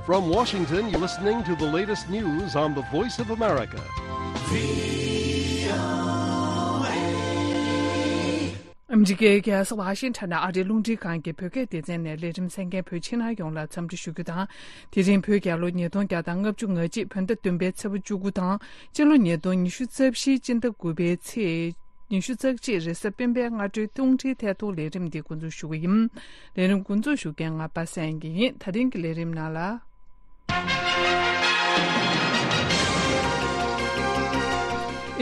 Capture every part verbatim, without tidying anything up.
From Washington, you're listening to the latest news on the Voice of America. ཨ་མི་རི་ཀའི་རྒྱལ་ས་ཝ་ཤིང་ཊོན་ནས་ཨ་རིའི་རླུང་འཕྲིན་ཁང་གི་བོད་སྐད་སྡེ་ཚན་ནས་ལས་རིམ་གསན་མཁན་བོད་ཕྱི་ནང་ཡོངས་ལ་འཚམས་འདྲི་ཞུ་རྒྱུ་དང་། དེ་རིང་བོད་རྒྱལ་ལོ་ཉིས་སྟོང་བརྒྱ་དང་ལྔ་བཅུ་ང་གཅིག་བོད་ཟླ་བདུན་པའི་ཚེས་པ་བཅུ་དགུ་དང་། སྤྱི་ལོ་ཉིས་སྟོང་ཉི་ཤུ་རྩ་བཞིའི་སྤྱི་ཟླ་དགུ་པའི་ཚེས་ཉི་ཤུ་རྩ་གཅིག་རེས་གཟའ་སྤེན་པའི་སྔ་དྲོའི་རླུང་འཕྲིན་ཐད་གཏོང་ལས་རིམ་འདི་འགོ་འཛུགས་ཞུ་གི་ཡིན། ལས་རིམ་འགོ་འཛུགས་ཞུ་མཁན་ང་པ་སངས་སྐྱིད་ཡིན། ད་རིང་གི་ལས་རིམ་ནང་ལ།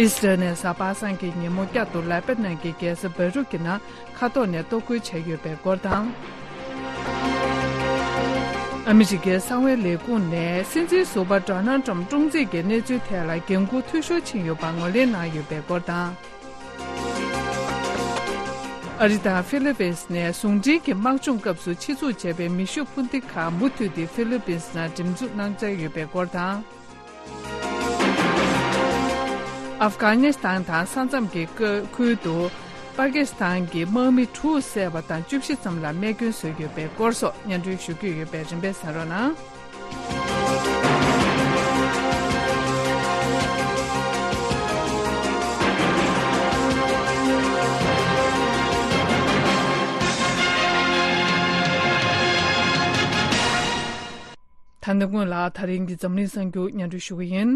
ཨི་སི་རལ་ནས་གཟའ་པ་སངས་ཀྱི་ཉིན་མོ་བསྐྱར་དུ་ལེ་པ་ནན་གྱི་རྒྱལ་ས་བེ་རུད་ཀྱི་ནང་མཁའ་ཐོག་ནས་གཏོར་རྒོལ་བྱས་ཡོད་པའི་སྐོར་དང་། ཨ་མི་རི་ཀའི་གསང་བའི་ལས་ཁུངས་ནས་སྲིད་འཛིན་ཟུར་པ་ཌོ་ནལ་ཏྲམ་བཀྲོངས་རྩིས་ཀྱི་གནས་ཚུལ་ཐད་ལ་འགན་འཁུར་འཐུས་ཤོར་ཕྱིན་ཡོད་པ་ངོས་ལེན་གནང་ཡོད་པའི་སྐོར་དང་། ཨ་རི་དང་ཧྥི་ལི་པིན་ནས་ཟུང་འབྲེལ་གྱི་དམག་སྦྱོང་སྐབས་སུ་ཆེད་འཛུགས་བྱས་པའི་མེ་ཤུགས་འཕུར་མདེལ་ཁག་མུ་མཐུད་དེ་ཧྥི་ལི་པིན་ནང་འགྲེམས་འཛུགས་གནང་འཆར་ཡོད་པའི་སྐོར་དང་། ཨབ་གྷ་ནི་སི་ཐན་དང་ས་མཚམས་ཀྱི་ཁུལ་དུ་པ་ཀི་སི་ཐན་གྱི་དམག་མི་དྲུག་བསད་པ་དང་བཅུ་བཞི་ཙམ་ལ་རྨས་སྐྱོན་བཟོས་ཡོད་པའི་སྐོར་སོགས་སྙན་སྒྲོན་ཞུ་རྒྱུ་ཡོད་པས་རིམ་པས་གསན་རོགས་གནང་། ད་ནི་སྔོན་ལ་ད་རིང་གི་འཛམ་གླིང་གསར་འགྱུར་སྙན་སྒྲོན་ཞུ་གི་ཡིན།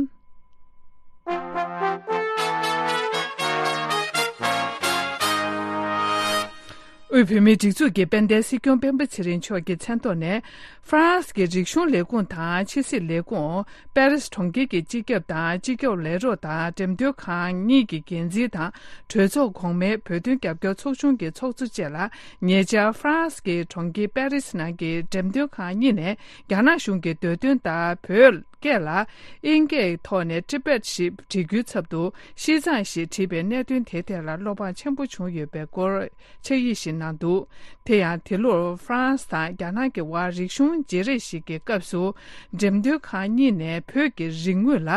དབུས་བོད་མིའི་སྒྲིག་འཛུགས་ཀྱི་དཔལ་ལྡན་སྲིད་སྐྱོང་སྤེན་པ་ཚེ་རིང་མཆོག་གི་མཚན་ཐོག་ནས། ཧྥ་རན་སི་གི་རིག་གཞུང་ལས་ཁུངས་དང་ཕྱི་སྲིད་ལས་ཁུངས། པེ་རིས་གྲོང་ཁྱེར་གྱི་སྤྱི་ཁྱབ་དང་སྤྱི་ཁྱབ་ལས་རོགས་དང་འགྲེམས་སྟོན་ཁང་གཉིས་ཀྱི་འགན་འཛིན་དང་། གྲོས་ཚོགས་གོང་མའི་བོད་དོན་རྒྱབ་སྐྱོར་ཚོགས་ཆུང་གི་ཚོགས་གཙོ་བཅས་ལ། ཉེ་ཆར་ཧྥ་རན་སི་གི་གྲོང་ཁྱེར་པེ་རིས་ནང་གི་འགྲེམས་སྟོན་ཁང་གཉིས་ནས། རྒྱ་ནག་གཞུང་གི་འདོད་དོན་ལྟར་བོད་སྐད་ལ་དབྱིན་སྐད་ཐོག་ནས་ཊི་བེཊ་ཞེས་བྲི་རྒྱུའི་ཚབ་ཏུ་ཤི་ཙང་ཞེས་བྲིས་པའི་གནད་དོན་དེ་ཐད་ལ་བློ་ཕམ་ཆེན་པོ་བྱུང་ཡོད་པའི་སྐོར་ཕྱག་ཡིག་ཞིག་གནང་འདུག་དེ་ཡང་དེ་ལོར་ཧྥ་རན་སི་དང་རྒྱ་ནག་གི་དབར་རིག་གཞུང་བརྗེ་རེས་ཤིག་གི་སྐབས་སུ། འགྲེམས་སྟོན་ཁང་གཉིས་ནས་བོད་ཀྱི་རིག་དངོས་ལ་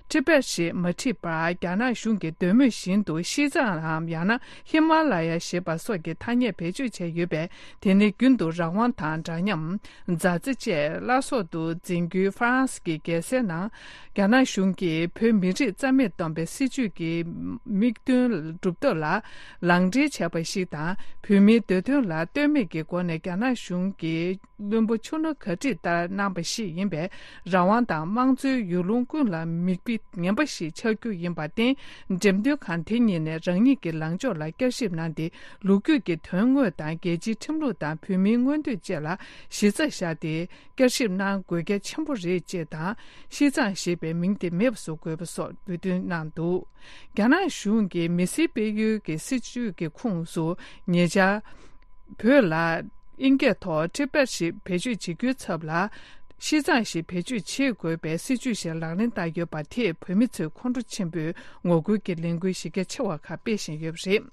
ཊི་བེཊ་ཞེས་མ་བྲིས་པར། རྒྱ་ནག་གཞུང་གི་འདོད་མོས་བཞིན་དུ་ཤི་ཙང་ངམ། ཡང་ན་ཧི་མ་ལ་ཡ་ཞེས་པ་སོགས་ཀྱི་ཐ་སྙད་བེད་སྤྱོད་བྱས་ཡོད་པས། དེ་ནི་རྒྱུན་དུ་རང་དབང་དང་འདྲ་མཉམ། མཛའ་བརྩེ་བཅས་བླ་སྲོག་ཏུ་འཛིན་རྒྱུའི་ཧྥ་རན་སི་གི་རྒྱལ་སའི་ནང་། རྒྱ་ནག་གཞུང་གིས་བོད་མི་རིགས་རྩ་མེད་གཏོང་བའི་སྲིད་བྱུས་ཀྱི་དམིགས་དོན་སྒྲུབ་ཐབས་ལ་ལག་འབྲེལ་བྱས་པ་ཞིག་དང་། བོད་མིའི་འདོད་དོན་ལ་ལྟོས་མེད་ཀྱི་སྒོ་ནས་རྒྱ་ནག་གཞུང་གིས་བླུན་པོ་ཆུ་སྣ་གར་ཁྲིད་ལྟར་གནང་པ་ཞིག་ཡིན་པས། རང་དབང་དང་དམངས་གཙོའི་ཡུལ་ལུང་ཀུན་ལ་མིག་དཔེ་ངན་པ་ཞིག་ཆགས་རྒྱུ་ཡིན་པར་བརྟེན། འགྲེམས་སྟོན་ཁང་དེ་གཉིས་ནས་རང་ཉིད་ཀྱི་ལངས་ཕྱོགས་ལ་བསྐྱར་ཞིབ་གནང་སྟེ། ལོ་རྒྱུས་ཀྱི་དོན་དངོས་དང་། རྒྱལ་སྤྱིའི་ཁྲིམས་ལུགས་དང་། བོད་མིའི་མངོན་འདོད་བཅས་ལ་གཞི་རྩ་བཞག་སྟེ། བསྐྱར་ཞིབ་གནང་དགོས་གལ་ཆེན་པོ་རེད་ཅེས་དང་། ཤི་ཙང་ཞེས་པའི་མིང་དེ་མེད་པ་བཟོ་དགོས་པ་སོགས་འབོད་སྐུལ་གནང་འདུག་རྒྱ་ནག་གཞུང་གིས་མི་སེར་སྤེལ་ཡུལ་གྱི་སྲིད་བྱུས་ཀྱི་ཁོངས་སུ། ཉེ་ཆར་བོད་ལ་དབྱིན་སྐད་ཐོག་ཊི་བེཊ་ཞེས་བེད་སྤྱོད་བྱེད་རྒྱུའི་ཚབ་ལ། ཤི་ཙང་ཞེས་བེད་སྤྱོད་བྱེད་དགོས་པའི་སྲིད་བྱུས་ཤིག་ལག་ལེན་བསྟར་ཡོད་པ་དེས། བོད་མི་ཚོས་ཁོང་ཁྲོ་ཆེན་པོས་ངོ་རྒོལ་གྱི་ལས་འགུལ་གཞི་རྒྱ་ཆེ་བ་ཁག་སྤེལ་བཞིན་ཡོད་པ་རེད།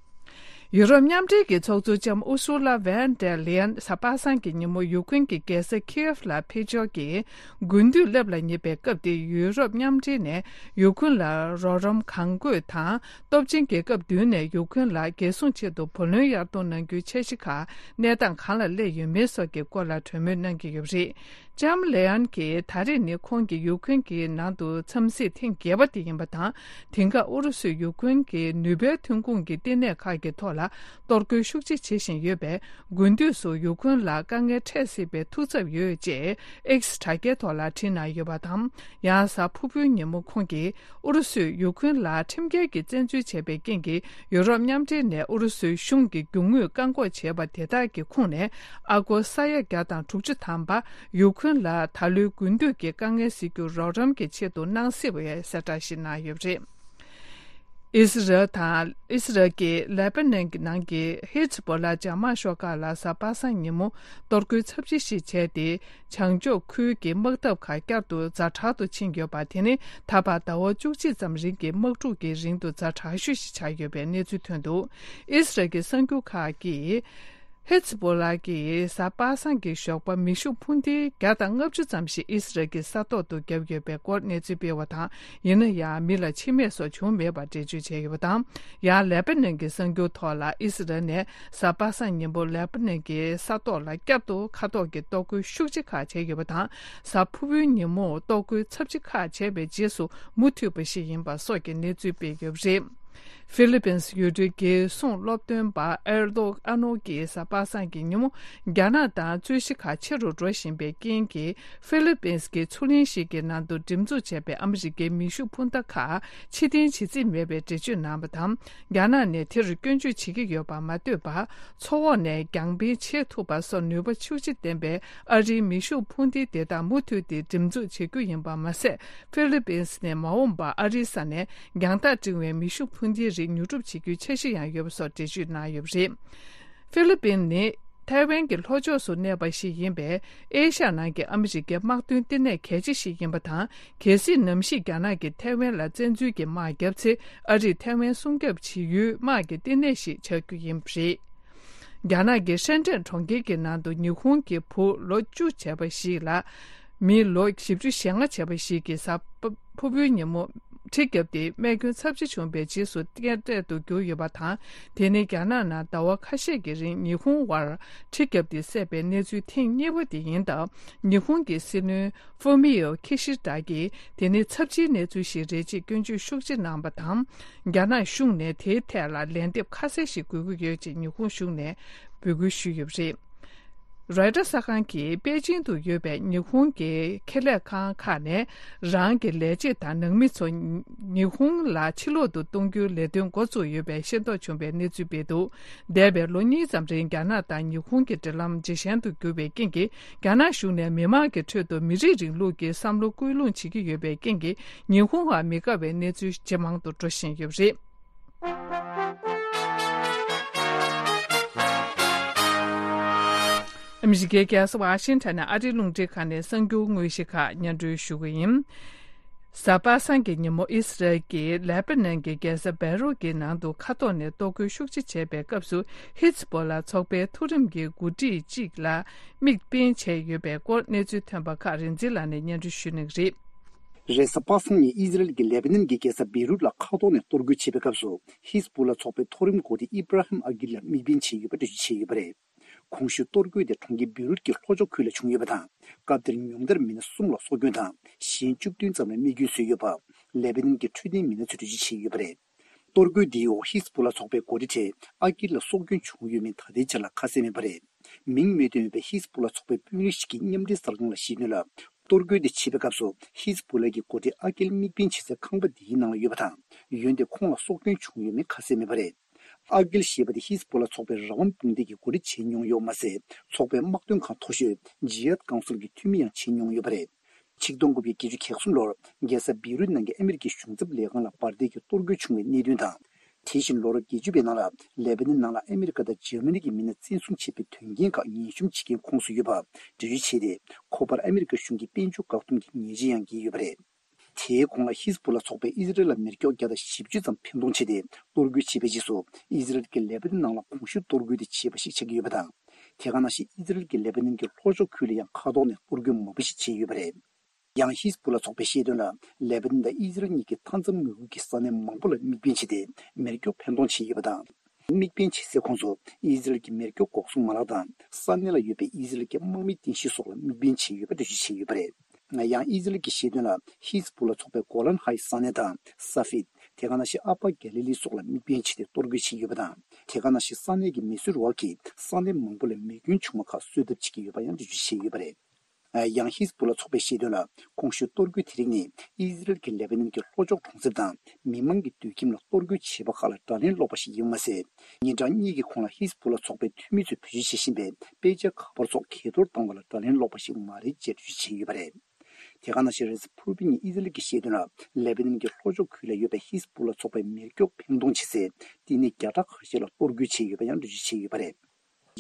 ཡུ་རོབ་མཉམ་འབྲེལ་གྱི་ཚོགས་གཙོ་ལྕམ་ཨུ་སུ་ལ་ཝན་ཌེར་ལེ་ཡན་གཟའ་པ་སངས་ཀྱི་ཉིན་མོ་ཡུ་ཀེ་རེན་གྱི་རྒྱལ་ས་ཁིའེབ་ལ་ཕེབས་འབྱོར་གྱིས། དགུན་དུས་སླེབས་ལ་ཉེ་བའི་སྐབས་འདིར་ཡུ་རོབ་མཉམ་འབྲེལ་ནས་ཡུ་ཀེ་རེན་ལ་རོགས་རམ་གང་དགོས་དང་། སྟོབས་ཆེན་རྒྱལ་ཁབ་བདུན་ནས་ཡུ་ཀེ་རེན་ལ་རྒྱལ་སྲུང་ཆེད་དུ་བུ་ལོན་གཡར་གཏོང་གནང་རྒྱུའི་འཆར་གཞི་ཁག་གནས་སྟངས་གང་ལ་སླེབས་ཡོད་མེད་སོགས་ཀྱི་སྐོར་ལ་གྲོས་མོལ་གནང་གི་ཡོད་པ་རེད། ལྕམ་ལེ་ཡན་གྱིས་ད་རེས་ནི་ཁོང་གི་ཡུ་ཀེ་རེན་གྱི་ནང་དུ་འཚམས་གཟིགས་ཐེངས་བརྒྱད་པ་དེ་ཡིན་པ་དང་། དེང་སྐབས་ཨུ་རུ་སུས་ཡུ་ཀེ་རེན་གྱི་ནུས་པའི་ཐོན་ཁུངས་ཀྱི་བསྟི་གནས་ཁག་གི་ཐོག་ལ་གཏོར་རྒོལ་ཤུགས་ཆེ་བྱེད་བཞིན་ཡོད་པས། དགུན་དུས་སུ་ཡུ་ཀེ་རེན་ལ་དཀའ་ངལ་འཕྲད་སྲིད་པའི་ཐུགས་འཚབ་ཡོད་ཅེས་ཨེག་སི་དྲ་རྒྱའི་ཐོག་ལ་བྲིས་གནང་ཡོད་པ་དང་། ཡང་གཟའ་ཕུར་བུའི་ཉིན་མོ་ཁོང་གིས། ཨུ་རུ་སུས་ཡུ་ཀེ་རེན་ལ་ཁྲིམས་འགལ་གྱི་བཙན་འཛུལ་བྱས་པའི་རྐྱེན་གྱིས། ཡུ་རོབ་མཉམ་འབྲེལ་ནས་ཨུ་རུ་སུའི་གཞུང་གི་རྒྱུ་དངོས་བཀག་འགོག་བྱས་པ་དེ་དག་གི་ཁོངས་ནས། ཨ་སྒོར་ས་ཡ་བརྒྱ་དང་དྲུག་ཅུ་ཐམ་པ། ཡུ་ཀེ་རེན་ལ་ད་ལོའི་དགུན་དུས་ཀྱི་དཀའ་ངལ་སེལ་རྒྱུར་རོགས་རམ་གྱི་ཆེད་དུ་གནང་སྲིད་པའི་གསལ་བསྒྲགས་ཤིག་གནང་ཡོད་པ་རེད། ཨི་སི་རལ་དང་། ཨི་སི་རལ་གྱིས་ལེ་པ་ནན་གྱི་ནང་གི་ཧི་ཛ་བྷོ་ལ་འཇབ་དམག་ཤོག་ཁག་ལ་གཟའ་པ་སངས་ཉིན་མོ་གཏོར་རྒོལ་ཚབས་ཆེ་ཞིག་བྱས་ཏེ། བྱང་ཕྱོགས་ཁུལ་གྱི་དམག་འཐབ་ཁག་བསྐྱར་དུ་ཛ་དྲག་ཏུ་ཕྱིན་ཡོད་པ། དེ་ནི་ད་བར་ཟླ་བ་བཅུ་གཅིག་ཙམ་རིང་གི་དམག་འཁྲུག་གི་རིང་དུ་ཛ་དྲག་ཤོས་ཤིག་ཆགས་ཡོད་པའི་གནས་ཚུལ་ཐོན་འདུག་ཨི་སི་རལ་གྱི་གསར་འགྱུར་ཁག་གིས། ཧི་ཛ་བྷོ་ལ་གིས་གཟའ་པ་སངས་ཀྱི་ཞོགས་པ་མེ་ཤུགས་འཕུར་མདེལ་བརྒྱ་དང་ལྔ་བཅུ་ཙམ་ཞིག་ཨི་སི་རལ་གྱི་ས་ཐོག་ཏུ་བརྒྱབ་ཡོད་པའི་སྐོར་གནས་ཚུལ་སྤེལ་བ་དང་། ཡིན་ན་ཡང་མི་ལ་འཆི་རྨས་སོགས་བྱུང་མེད་པར་འགྲེལ་བརྗོད་བྱས་ཡོད་པ་དང་། ཡང་ལེ་པ་ནན་གྱི་གསར་འགྱུར་ཐོག་ལ་ཨི་སི་རལ་ནས་གཟའ་པ་སངས་ཉིན་མོ་ལེ་པ་ནན་གྱི་ས་ཐོག་ལ་བསྐྱར་དུ་མཁའ་ཐོག་གི་གཏོར་རྒོལ་ཤུགས་ཆེ་ཁག་བྱས་ཡོད་པ་དང་། གཟའ་ཕུར་བུའི་ཉིན་མོ་གཏོར་རྒོལ་ཚབས་ཆེ་ཁག་བྱས་པའི་རྗེས་སུ་མུ་མཐུད་པ་ཞིག་ཡིན་པ་སོགས་ཀྱི་གནས་ཚུལ་སྤེལ་ཡོད་པ་རེད། ཧྥི་ལི་པིན་སི་ཡུལ་གྲུའི་རྒྱལ་སྲུང་སློབ་སྟོན་པ་ཨེར་ཏོ་ཨ་ནོ་གིས་གཟའ་པ་སངས་ཀྱི་ཉིན་མོ་རྒྱ་ནག་དང་རྩོད་གཞི་ཁག་ཆེ་རུ་འགྲོ་བཞིན་པའི་རྐྱེན་གྱིས། ཧྥི་ལི་པིན་སི་གི་མཚོ་གླིང་ཞིག་གི་ནང་དུ་འགྲེམས་འཛུགས་བྱས་པའི་ཨ་མི་རི་ཀའི་མེ་ཤུགས་འཕུར་མདའ་ཁག་ཕྱིར་འཐེན་བྱེད་རྩིས་མེད་པའི་འགྲེལ་བརྗོད་གནང་བ་དང་། རྒྱ་ནག་ནས་དེར་སྐྱོན་བརྗོད་བྱེད་ཀྱི་ཡོད་པ་མ་ལྟོས་པར། མཚོ་འོག་ནས་རྒྱང་འཕེན་བྱེད་ཐུབ་པ་སོགས་ནུས་པ་ཤུགས་ཆེ་ལྡན་པའི་ཨ་རིའི་མེ་ཤུགས་འཕུར་མདེལ་དེ་དག་མུ་མཐུད་དེ་འགྲེམས་འཛུགས་བྱེད་རྒྱུ་ཡིན་པ་མ་ཟད། ཧྥི་ལི་པིན་སི་ནས་མ་འོངས་པར་ཨ་རིའི་ས་ནས་རྒྱང་ཐག་འབྲིང་བའི་མེ་ཤུགས་འཕུར་མདེལ་རིགས་ཉོ་སྒྲུབ་བྱེད་རྒྱུའི་འཆར་གཞི་ཡང་ཡོད་པ་སོགས་འགྲེལ་བརྗོད་གནང་ཡོད་པ་རེད། ཧྥི་ལི་པིན་ནི་ཐའེ་ཝན་གྱི་ལྷོ་ཕྱོགས་སུ་གནས་པ་ཞིག་ཡིན་པས། ཨེ་ཤ་ཡ་ནང་གི་ཨ་མི་རི་ཀའི་དམག་དོན་ལྟེ་གནས་གལ་ཆེ་ཞིག་ཡིན་པ་དང་། གལ་སྲིད་ནམ་ཞིག་རྒྱ་ནག་གིས་ཐའེ་ཝན་ལ་བཙན་འཛུལ་གྱི་དམག་བརྒྱབ་ཚེ། ཨ་རིས་ཐའེ་ཝན་སྲུང་སྐྱོབ་བྱེད་ཡུལ་དམག་གི་ལྟེ་གནས་ཤིག་ཆགས་རྒྱུ་ཡིན་པ་རེད། རྒྱ་ནག་གི་ཧྲེན་ཀྲེན་གྲོང་ཁྱེར་གྱི་ནང་དུ་ཉི་ཧོང་གི་བུ་ལོ་བཅུ་བྱས་པ་ཞིག་ལ། མི་ལོ་བཞི་བཅུ་ཞེ་ལྔ་བྱས་པ་ཞིག་གིས་གཟའ་ཕུར་བུའི་ཉིན་མོ་གྲི་བརྒྱབ་སྟེ་རྨས་སྐྱོན་ཚབས་ཆེ་བྱུང་བའི་རྗེས་སུ་རྐྱེན་འདས་དུ་གྱུར་ཡོད་པ་དང་། དེ་ནི་རྒྱ་ནག་ནང་ཟླ་བ་ཁ་ཤས་ཀྱི་རིང་ཉི་ཧོང་བར་གྲི་བརྒྱབ་སྟེ་བསད་པའི་གནས་ཚུལ་ཐེངས་གཉིས་པ་དེ་ཡིན་སྟབས། ཉི་ཧོང་གི་སྲིད་བློན་ཧྥུ་མི་ཡོ་ཁི་ཤི་ད་གིས་དེ་ནི་ཚབས་ཆེའི་གནས་ཚུལ་ཞིག་རེད་ཅེས་སྐྱོན་བརྗོད་ཤུགས་ཆེ་གནང་བ་དང་། རྒྱ་ནག་གཞུང་ནས་དེའི་ཐད་ལ་ལན་འདེབས་ཁ་གསལ་ཞིག་དགོས་ཀྱི་ཡོད་ཅེས་ཉི་ཧོང་གཞུང་ནས་འབོད་སྐུལ་ཞུས་ཡོད་པ་རེད། རོའི་ཊར་གསར་ཁང་གིས་པེ་ཅིང་དུ་ཡོད་པའི་ཉི་ཧོང་གི་ཁེ་ལས་ཁང་ཁག་ནས་རང་གི་ལས་བྱེད་དང་ནང་མི་ཚོ་ཉི་ཧོང་ལ་ཕྱིར་ལོག་ཏུ་གཏོང་རྒྱུའི་ལས་དོན་འགོ་བཙུགས་ཡོད་པའི་ཤེས་རྟོགས་བྱུང་བའི་གནས་ཚུལ་སྤེལ་འདུག་འདས་པའི་ལོ་གཉིས་ཙམ་རིང་རྒྱ་ནག་དང་ཉི་ཧོང་གི་འབྲེལ་ལམ་ཇེ་ཞན་དུ་གྱུར་བའི་རྐྱེན་གྱིས། རྒྱ་ནག་གཞུང་ནས་མི་མང་གི་ཁྲོད་དུ་མི་རིགས་རིང་ལུགས་ཀྱི་བསམ་བློ་སྐུལ་སློང་བྱེད་ཀྱི་ཡོད་པའི་རྐྱེན་གྱིས། ཉི་ཧོང་བར་མི་དགའ་བའི་གནས་ཚུལ་ཇེ་མང་དུ་འགྲོ་བཞིན་ཡོད་པ་རེད། ཨ་མི་རི་ཀའི་རྒྱལ་ས་ཝ་ཤིང་ཊོན་ནས་ཨ་རིའི་རླུང་འཕྲིན་ཁང་ནས་གསར་འགྱུར་དངོས་གཞི་ཁག་སྙན་སྒྲོན་ཞུ་གི་ཡིན། གཟའ་པ་སངས་ཀྱི་ཉིན་མོ་ཨི་སི་རལ་གྱིས་ལེ་པ་ནན་གྱི་རྒྱལ་ས་བེ་རུད་ཀྱི་ནང་དུ་མཁའ་ཐོག་ནས་གཏོར་རྒོལ་ཤུགས་ཆེ་བྱས་པའི་སྐབས་སུ། ཧི་ཛ་བྷོ་ལ་ཚོགས་པའི་མཐོ་རིམ་གྱི་འགོ་ཁྲིད་ཅིག་ལ་དམིགས་འབེན་བྱས་ཡོད་པའི་སྐོར་གནས་ཚུལ་ཐོན་པ་ཁག་རིག་འཛིན་ལགས་ནས་སྙན་སྒྲོན་ཞུ་གནང་གི་རེད། རེས་གཟའ་པ་སངས་ཉིན་ཨི་ཟི་རལ་གྱིས་ལེ་པ་ནན་གྱི་རྒྱལ་ས་བེ་རུད་ལ་མཁའ་ཐོག་ནས་གཏོར་རྒོལ་བྱས་པའི་སྐབས་སུ། ཧི་ཛ་བྷོ་ལ་ཚོགས་པའི་མཐོ་རིམ་འགོ་ཁྲིད་ཨི་བྷ་ར་ཧིམ་ཨ་གིལ་ལ་དམིགས་འབེན་བྱས་ཡོད་པ་འགྲེལ་བརྗོད་བྱས་ཡོད་པ་རེད། གོང་ཞུས་གཏོར་རྒོལ་དེ་གྲོང་ཁྱེར་བེ་རུད་ཀྱི་ལྷོ་ཕྱོགས་ཁུལ་ལ་བྱུང་ཡོད་པ་དང་། སྐབས་དེར་ཉུང་མཐར་མི་སྣ་གསུམ་ལ་སྲོག་སྐྱོན་དང་། གཞན་བཅུ་བདུན་ཙམ་ལ་རྨས་སྐྱོན་བཟོས་ཡོད་པ། ལེ་པ་ནན་གྱི་འཕྲོད་བསྟེན་མི་སྣ་ཚོས་འགྲེལ་བརྗོད་བྱས་ཡོད་པ་རེད། གཏོར་རྒོལ་འདིའི་འོག་ཧི་ཛ་བྷོ་ལ་ཚོགས་པའི་འགོ་ཁྲིད་ཁྲེད་ཨ་ཀིལ་ལ་སྲོག་སྐྱོན་བྱུང་ཡོད་མིན་ད་ལྟའི་ཆར་ལ་ཁ་གསལ་མེད་པ་རེད། མིང་མི་བཏོན་པའི་ཧི་ཛ་བྷོ་ལ་ཚོགས་པའི་དཔོན་རིགས་ཤིག་གིས་མཉམ་འབྲེལ་གསར་ཁང་ལ་བཤད་དོན་ལ། གཏོར་རྒོལ་འདི་བྱེད་པའི་སྐབས་སུ་ཧི་ཛ་བྷོ་ལ་གི་འགོ་ཁྲིད་ཨ་ཀིལ་དམིགས་འབེན་བྱེད་སའི་ཁང་པ་འདིའི་ནང་ལ་ཡོད་པ་དང་། འོན་ཏེ་ཁོང་ལ་སྲོག་སྐྱོན་བྱུང་ཡོད་མིན་ཁ་གསལ་མེད་པ་རེད། ཨ་གིལ་ཞེས་པ་དེ་ཧི་ཛ་བྷོ་ལ་ཚོགས་པའི་རང་དབང་དཔུང་སྡེ་གི་འགོ་ཁྲིད་བྱས་མྱོང་ཡོད་མ་ཟད། ཚོགས་པའི་དམག་དོན་ཁང་མཐོ་ཤོས་ཇི་ཧད་ཀའུན་སིལ་གྱི་འཐུས་མི་ཡང་བྱས་མྱོང་ཡོད་པ་རེད། ཆིག་སྟོང་དགུ་བརྒྱ་བརྒྱད་ཅུ་གྱ་གསུམ་ལོར་རྒྱལ་ས་བེ་རུད་ནང་གི་ཨ་མི་རི་ཀའི་གཞུང་ཚབ་ལས་ཁང་ལ་འབར་མདེལ་གྱི་གཏོར་རྒོལ་བྱུང་བའི་གནད་དོན་དང་། དེ་བཞིན་ལོ་རབས་བརྒྱད་ཅུ་པའི་ནང་ལ་ལེ་པ་ནན་ནང་ལ་ཨ་མི་རི་ཀ་དང་འཇར་མ་ནི་གི་མི་སྣ་བཙན་བཟུང་བྱས་པའི་དོན་རྐྱེན་ཁག་ཉེན་ཞིབ་བྱེད་མཁན་ཁོངས་སུ་ཡོད་པ་འགྲེལ་བརྗོད་བྱས་ཏེ། ཁོ་པར་ཨ་མི་རི་ཀ་གཞུང་གིས་དཔལ་འབྱོར་བཀག་སྡོམ་གྱི་ཉེས་ཆད་ཡང་འགེལ་ཡོད་པ་རེད། དེའི་གོང་ལ་ཧི་ཛ་བྷོ་ལ་ཚོགས་པས་ཨི་ཟི་རལ་ལ་མེ་སྒྱོགས་བརྒྱ་དང་བཞི་བཅུ་ཙམ་འཕེན་གཏོང་བྱས་ཏེ། གཏོར་རྒོལ་བྱས་པའི་རྗེས་སུ། ཨི་ཟི་རལ་གྱིས་ལེ་པ་ནན་ནང་ལ་གོང་ཞུས་གཏོར་རྒོལ་དེ་བྱས་པ་ཞིག་ཆགས་ཀྱི་ཡོད་པ་དང་། དེ་ག་ནང་བཞིན་ཨི་ཟི་རལ་གྱིས་ལེ་པ་ནན་གྱི་ལྷོ་ཕྱོགས་ཁུལ་ལ་ཡང་མཁའ་ཐོག་ནས་གཏོར་རྒོལ་མང་པོ་ཞིག་བྱས་ཡོད་པ་རེད། ཡང་ཧི་ཛ་བྷོ་ལ་ཚོགས་པས་བཤད་དོན་ལ། ལེ་པ་ནན་དང་ཨི་ཟི་རལ་གཉིས་ཀྱིས་མཐའ་མཚམས་ངོས་ཁུལ་གྱི་ས་གནས་མང་པོ་ལ་དམིགས་འབེན་བྱས་ཏེ། མེ་སྒྱོགས་འཕེན་གཏོང་བྱས་ཡོད་པ་དང་། དམིགས་འབེན་བྱེད་སའི་ཁོངས་སུ་ཨི་ཟི་རལ་གྱི་མེ་སྒྱོགས་འགོག་སྲུང་མ་ལག་དང་ས་གནས་ལ་ཡོད་པའི་ཨི་ཟི་རལ་གྱི་དམག་མིའི་རྟེན་གཞི་སོགས་ལ་དམིགས་འབེན་བྱས་ཡོད་པ་འགྲེལ་བརྗོད་བྱས་ཡོད་པ་རེད། ཡང་ཨི་ཟི་རལ་གྱིས་བཤད་དོན་ལ། ཧི་ཛ་བྷོ་ལ་ཚོགས་པའི་གོ་ལན་ཧའི་ས་གནས་དང་ས་ཧྥིད། དེ་ག་ནང་བཞིན་ཨ་པ་གྷ་ལི་ལི་སོགས་ལ་དམིགས་འབེན་བྱས་ཏེ་གཏོར་རྒོལ་བྱས་ཡོད་པ་དང་། དེ་ག་ནང་བཞིན་ས་གནས་ཀྱི་མེ་གསོད་རུ་ཁག་གིས་ས་གནས་མང་པོ་ལ་མེ་སྐྱོན་བྱུང་བ་ཁག་གསོད་ཐབས་བྱེད་ཀྱི་ཡོད་པ་ཡང་འགྲེལ་བརྗོད་བྱས་ཡོད་པ་རེད། ཡང་ཧི་ཛ་བྷོ་ལ་ཚོགས་པས་བཤད་དོན་ལ། གོང་ཞུས་གཏོར་རྒོལ་དེ་རིགས་ནི་ཨི་ཟི་རལ་གྱིས་ལེ་པ་ནན་གྱི་ལྷོ་ཕྱོགས་གྲོང་གསེབ་དང་མི་མང་གི་སྡོད་ཁྱིམ་ལ་གཏོར་རྒོལ་བྱས་པ་ཁག་ལ་དགྲ་ལན་སློག་པ་ཞིག་ཡིན་པ་མ་ཟད། ཉིན་གྲངས་གཉིས་ཀྱི་གོང་ལ་ཧི་ཛ་བྷོ་ལ་ཚོགས་པའི་འཐུས་མི་ཚོས་བེད་སྤྱོད་བྱེད་བཞིན་པའི་དཔེ་ཆ་ཁ་པར་སོགས་གས་གཏོར་བཏང་བ་ལ་དགྲ་ལན་སློག་པ་ཞིག་མ་རེད་ཅེས་འགྲེལ་བརྗོད་བྱས་ཡོད་པ་རེད། དེ་ག་ནང་བཞིན་རེས་གཟའ་ཕུར་བུ་ཉིན་ཨི་ཟི་རལ་གྱིས་བཤད་དོན་ལ། ལེ་པ་ནན་གྱི་ལྷོ་ཕྱོགས་ཁུལ་ལ་ཡོད་པའི་ཧི་ཛ་བྷོ་ལ་ཚོགས་པས་མེ་སྒྱོགས་འཕེན་གཏོང་བྱེད་སའི་བསྟི་གནས་བརྒྱ་ཕྲག་ཁ་ཤས་ལ་གཏོར་རྒོལ་བྱས་ཡོད་པ་ཡང་འགྲེལ་བརྗོད་བྱས་ཡོད་པ་རེད།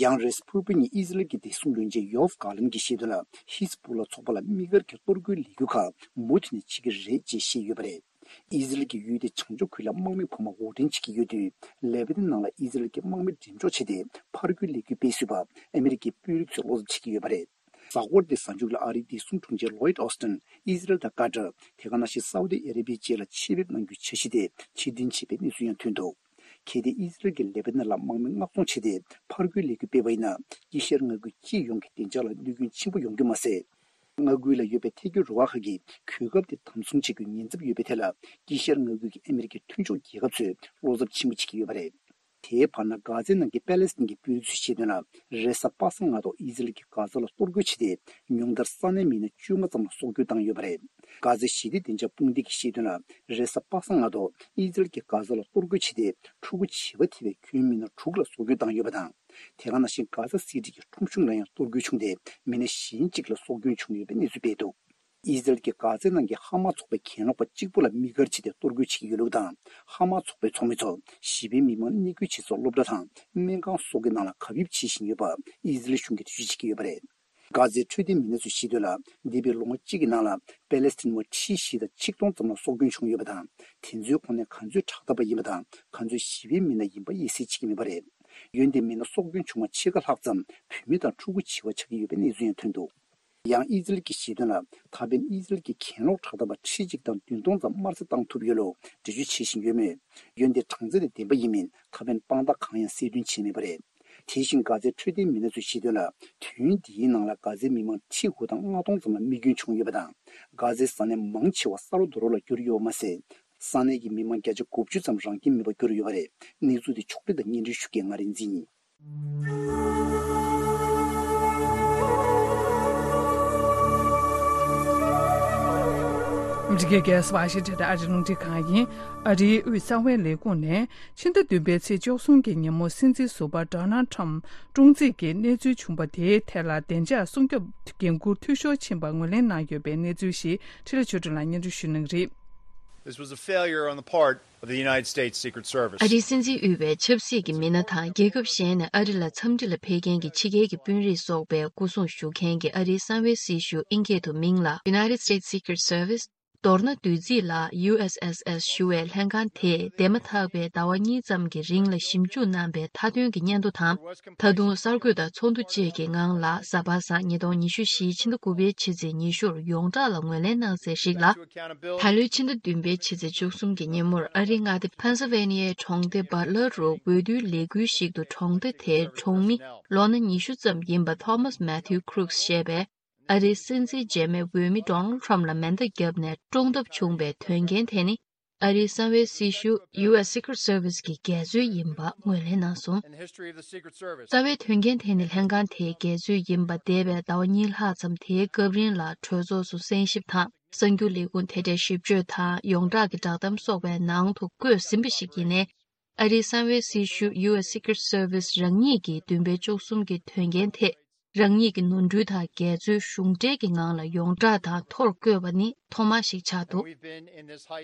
ཡང་རེས་ཕུར་བུ་ཉིན་ཨི་ཟི་རལ་གྱི་བདེ་སྲུང་བློན་ཆེན་ཡོབ་གྷ་ལན་གྱིས་བཤད་དོན་ལ། ཧི་ཛ་བྷོ་ལ་ཚོགས་པ་ལ་དམིགས་བཀར་གྱི་གཏོར་རྒོལ་ལས་འགུལ་ཁག་མུ་མཐུད་ནས་བྱེད་ཀྱི་རེད་ཅེས་བཤད་ཡོད་པ་རེད། ཨི་ཟི་རལ་གྱི་ཡུལ་དེའི་བྱང་ཕྱོགས་ཁུལ་ལ་དམག་མི་འཕོ་མ་དབོར་འདྲེན་བྱེད་ཀྱི་ཡོད་དུས། ལེ་པ་ནན་ནང་ལ་ཨི་ཟི་རལ་གྱི་དམག་མི་འགྲེམས་འཇོག་བྱས་ཏེ། ཕར་རྒོལ་ལས་འགུལ་སྤེལ་སྲིད་པ་ཨ་མི་རི་ཀའི་དཔོན་རིགས་ཚོས་བློ་འཚབ་བྱེད་ཀྱི་ཡོད་པ་རེད། གཟའ་འཁོར་འདིའི་གཟའ་མཇུག་ལ་ཨ་རིའི་བདེ་སྲུང་དྲུང་ཆེ་ལོའིད་ཨོ་སྟན་ཨི་ཟི་རལ་དང་ཀ་ཏར། དེ་ག་ནང་བཞིན་སའུ་ཏི་ཨ་རེ་བྷི་ཡ་བཅས་ལ་ཆེད་ཕེབས་གནང་རྒྱུའི་འཆར་གཞི་དེ་ཕྱིར་འཐེན་བྱས་པའི་གནས་ཚུལ་ཡང་ཐོན་འདུག་གལ་ཏེ་ཨི་ཟི་རལ་གྱིས་ལེ་པ་ནན་ལ་དམག་མི་མངགས་གཏོང་བྱས་ཏེ། ཕར་རྒོལ་ལས་འགུལ་སྤེལ་བ་ཡིན་ན། དཀྱིལ་ཤར་མངའ་ཁུལ་སྤྱི་ཡོངས་ཀྱི་བདེ་འཇགས་ལ་གནོད་སྐྱོན་ཆེན་པོ་ཡོང་རྒྱུ་མ་ཟད། མངའ་ཁུལ་ལ་ཡོད་པའི་ཐལ་སྐྱོད་རུ་ཁག་ཁག་གིས་གོ་སྐབས་དེ་དམ་བཟུང་བྱེད་རྒྱུའི་ཉེན་ཚབས་ཡོད་པའི་ཐད་ལ། དཀྱིལ་ཤར་མངའ་ཁུལ་གྱི་ཨ་མི་རི་ཀའི་མཐུན་ཕྱོགས་རྒྱལ་ཁབ་ཚོས་བློ་འཚབ་ཆེན་པོ་བྱེད་ཀྱི་ཡོད་པ་རེད། དེའི་བར་ན། གྷ་ཛའི་ནང་གི་པེ་ལེ་སི་ཐན་གྱི་དཔོན་རིགས་ཚོས་བཤད་དོན་ལ། རེས་གཟའ་པ་སངས་སྔ་དྲོ་ཨི་ཟི་རལ་གྱིས་གྷ་ཛ་ལ་གཏོར་རྒོལ་བྱས་ཏེ། ཉུང་མཐར་ས་གནས་མི་སྣ་བཅོ་ལྔ་ཙམ་ལ་སྲོག་སྐྱོན་བཏང་ཡོད་པ་རེད། གྷ་ཛའི་ཞི་བདེ་བདེ་འཇགས་དཔུང་སྡེ་གིས་བཤད་དོན་ལ། རེས་གཟའ་པ་སངས་སྔ་དྲོ་ཨི་ཟི་རལ་གྱིས་གྷ་ཛ་ལ་གཏོར་རྒོལ་བྱས་ཏེ། ཕྲུ་གུ་བྱིས་པ་ཐེ་བའི་ཁྱོན་མི་སྣ་དྲུག་ལ་སྲོག་སྐྱོན་བཏང་ཡོད་པ་དང་། དེ་ག་ནང་བཞིན་གྷ་ཛ་སི་ཊི་གི་ཁྲོམ་གཞུང་ལ་ཡང་གཏོར་རྒོལ་བྱུང་སྟེ། མི་སྣ་གཞན་གཅིག་ལ་སྲོག་སྐྱོན་བྱུང་ཡོད་པའི་གནས་ཚུལ་སྤེལ་འདུག་ཨི་ཟི་རལ་གྱིས་གྷ་ཛའི་ནང་གི་ཧ་མ་ཚོགས་པའི་གྱེན་ལོག་པ་གཅིག་པུ་ལ་དམིགས་བཀར་བྱས་ཏེ་གཏོར་རྒོལ་བྱེད་ཀྱི་ཡོད་ལུགས་དང་། ཧ་མ་ཚོགས་པའི་ཚོགས་མི་ཚོ་ཞི་བའི་མི་མང་གནས་སྐོར་བྱེད་སའི་སློབ་གྲྭ་དང་སྨན་ཁང་སོགས་ཀྱི་ནང་ལ་གབ་ཡིབ་བྱེད་བཞིན་ཡོད་པ་ཨི་ཟི་རལ་གཞུང་གིས་འགྲེལ་བརྗོད་བྱེད་ཀྱི་ཡོད་པ་རེད། གྷ་ཛའི་འཕྲོད་བསྟེན་མི་སྣ་ཚོས་བཤད་དོན་ལ། འདས་པའི་ལོ་ངོ་གཅིག་གི་ནང་ལ་པེ་ལེ་སི་ཐན་མི་ཁྲི་བཞི་དང་ཆིག་སྟོང་ཙམ་ལ་སྲོག་སྐྱོན་བྱུང་ཡོད་པ་དང་། དེ་ཚོའི་ཁོངས་ནས་ག་ཚོད་དྲག་འཐབ་པ་ཡིན་པ་དང་། ག་ཚོད་ཞི་བའི་མི་སྣ་ཡིན་པ་དབྱེ་གསལ་བྱེད་ཀྱི་མེད་པ་རེད། འོན་ཏེ་མི་སྣ་སྲོག་སྐྱོན་བྱུང་བ་ཕྱེད་ཀ་ལྷག་ཙམ་བུད་མེད་དང་ཕྲུ་གུ་བྱིས་པ་ཆགས་ཀྱི་ཡོད་པའི་གནས་ཚུལ་ཡང་ཐོན་འདུག་ཡང་ཨི་ཟི་རལ་གྱིས་བཤད་དོན་ལ། ད་ཕན་ཨི་ཟི་རལ་གྱི་གྱེན་ལོག་དྲག་འཐབ་པ་ཁྲི་གཅིག་དང་བདུན་སྟོང་ཙམ་དམར་གསོད་བཏང་ཐུབ་ཡོད་ལུགས་འགྲེལ་བརྗོད་བྱེད་བཞིན་ཡོད་མོད། འོན་ཏེ་གྲངས་ཚད་དེ་བདེན་པ་ཡིན་མིན་ད་ཕན་དཔང་རྟགས་གང་ཡང་གསལ་སྟོན་བྱས་མེད་པ་རེད། དེ་བཞིན་གྷ་ཛའི་འཕྲོད་བསྟེན་མི་སྣ་ཚོས་བཤད་དོན་ལ། དུས་ཡུན་འདིའི་ནང་ལ་གྷ་ཛའི་མི་མང་ཁྲི་དགུ་དང་ལྔ་སྟོང་ཙམ་ལ་རྨས་སྐྱོན་བྱུང་ཡོད་པ་དང་། གྷ་ཛའི་ས་གནས་མང་ཆེ་བ་ས་རོ་རྡོ་རོ་ལ་གྱུར་ཡོད་པ་མ་ཟད། ས་གནས་ཀྱི་མི་མང་བརྒྱ་ཆ་དགུ་བཅུ་ཙམ་རང་ཁྱིམ་མེད་པར་གྱུར་ཡོད་པ་རེད། གནས་ཚུལ་དེ་ཕྱོགས་སྒྲིག་དང་སྙན་སྒྲོན་ཞུ་མཁན་ང་རིག་འཛིན་ཡིན། འདི་གའི་གེ་སི་ཝ་ཤིང་ཊོན་དང་ཨ་རིའི་རླུང་འཕྲིན་ཁང་ཡིན། ཨ་རིའི་དབུས་གསང་བའི་ལས་ཁུངས་ནས་ཕྱི་ཟླ་བདུན་པའི་ཚེས་བཅུ་གསུམ་གྱི་ཉིན་མོ་སྲིད་འཛིན་ཟུར་པ་ཌོ་ནལ་ཁྲམ་བཀྲོངས་རྩིས་ཀྱི་གནས་ཚུལ་བྱུང་བ་དེའི་ཐད་ལ་བདེ་འཇགས་སྲུང་སྐྱོབ་འགན་འཁུར་འཐུས་ཤོར་ཕྱིན་པ་ངོས་ལེན་གནང་ཡོད་པའི་གནས་ཚུལ་ཞིག་འཕྲིན་ལས་ཆོས་སྒྲོན་ལགས་སྙན་སྒྲོན་ཞུ་གནང་གི་རེད། This was a failure on the part of the United States Secret Service. ཨ་རིའི་སྲིད་འཛིན་དབུས་པའི་ཆབ་སྲིད་ཀྱི་མི་སྣ་དང་རྒྱལ་ཁབ་གཞན་ནས་ཨ་རི་ལ་འཚམས་འདྲི་ལ་ཕེབས་མཁན་གྱི་ཕྱི་རྒྱལ་གྱི་དཔོན་རིགས་སོགས་པའི་སྐུ་སྲུང་ཞུ་མཁན་གྱི་ཨ་རིའི་གསང་བའི་སྲི་ཞུ་ཨིན་སྐད་དུ་མིང་ལ་United States Secret Service མདོར་ན་བསྡུས་རྩིས་ལ་ཡུ་ཨེས་ཨེས་ཨེས་ཞུ་བའི་ལྷན་ཁང་དེས་འདས་མ་ཐག་པའི་ཟླ་བ་གཉིས་ཙམ་གྱི་རིང་ལ་ཞིབ་འཇུག་གནང་པའི་མཐའ་དོན་གྱི་སྙན་ཐོ་དང་། ད་དུང་གསར་འགོད་དང་ཚོགས་འདུ་བཅས་ཀྱི་ངང་ལ་གཟའ་པ་སངས་ཉིས་སྟོང་ཉི་ཤུ་བཞིའི་ཕྱི་ཟླ་དགུ་པའི་ཕྱི་ཚེས་ཉི་ཤུར་ཡོངས་གྲགས་ལ་ངོས་ལེན་གནང་གསལ་ཞིག་ལ། ད་ལོའི་ཕྱི་ཟླ་བདུན་པའི་ཕྱི་ཚེས་བཅུ་གསུམ་གྱི་ཉིན་མོར་ཨ་རིའི་མངའ་སྡེ་ཕེན་སིལ་ཝེ་ནི་ཡའི་གྲོང་སྡེ་བྷ་ཊ་ལར་རུ་འོས་བསྡུའི་ལས་འགུལ་ཞིག་ཏུ་གྲོང་སྡེ་དེའི་གྲོང་མི་ལོ་ན་ཉི་ཤུ་ཙམ་ཡིན་པ་ཐོ་མཱས་མེ་ཐིའུ་ཁུ་རུག་སི་ཞེས་པས། ཨ་རིའི་སྲིད་འཛིན་རྗེས་མའི་འོས་མི་ཌོ་ནལ་ཁྲམ་ལ་མེ་མདའ་བརྒྱབ་ནས་བཀྲོངས་ཐབས་བྱུང་བའི་དོན་རྐྱེན་དེ་ནི། ཨ་རིའི་གསང་བའི་སྲི་ཞུ་ཡུ་ཨེས་སི་ཀི་རེཊ་སར་བི་སི་གི་འགལ་འཛོལ་ཡིན་པ་ངོས་ལེན་གནང་སོང་། རྩ་བའི་དོན་རྐྱེན་དེ་ནི་ལྷན་ཁང་དེའི་འགལ་འཛོལ་ཡིན་པ་འདས་པའི་ཟླ་བ་གཉིས་ལྷག་ཙམ་དེའི་སྐབས་རིང་ལ་གྲོས་ཚོགས་སུ་གསན་ཞིབ་དང་། གསར་འགྱུར་ལས་ཁུངས་དེ་འདྲའི་ཞིབ་བརྗོད་དང་ཡོངས་གྲགས་ཀྱི་བསྒྲགས་གཏམ་སོགས་པའི་ནང་དུ་བཀོད་ཟིན་པ་ཞིག་ཡིན་ནའི། ཨ་རིའི་གསང་བའི་སྲི་ཞུ་ཡུ་ཨེས་སི་ཀི་རེཊ་སར་བི་སི་རང་ཉིད་ཀྱིས་བདུན་པའི་བཅུ་གསུམ་གྱི་དོན་རྐྱེན་ཐད་རང་ཉིད་ཀྱི་ནོར་འཁྲུལ་དང་འགལ་འཛོལ་གཞུང་འབྲེལ་གྱི་ངང་ལ་ཡོངས་གྲགས་དང་ཐོར་བཀོད་པ་ནི་ཐོག་མ་ཞིག་ཆགས་འདུག་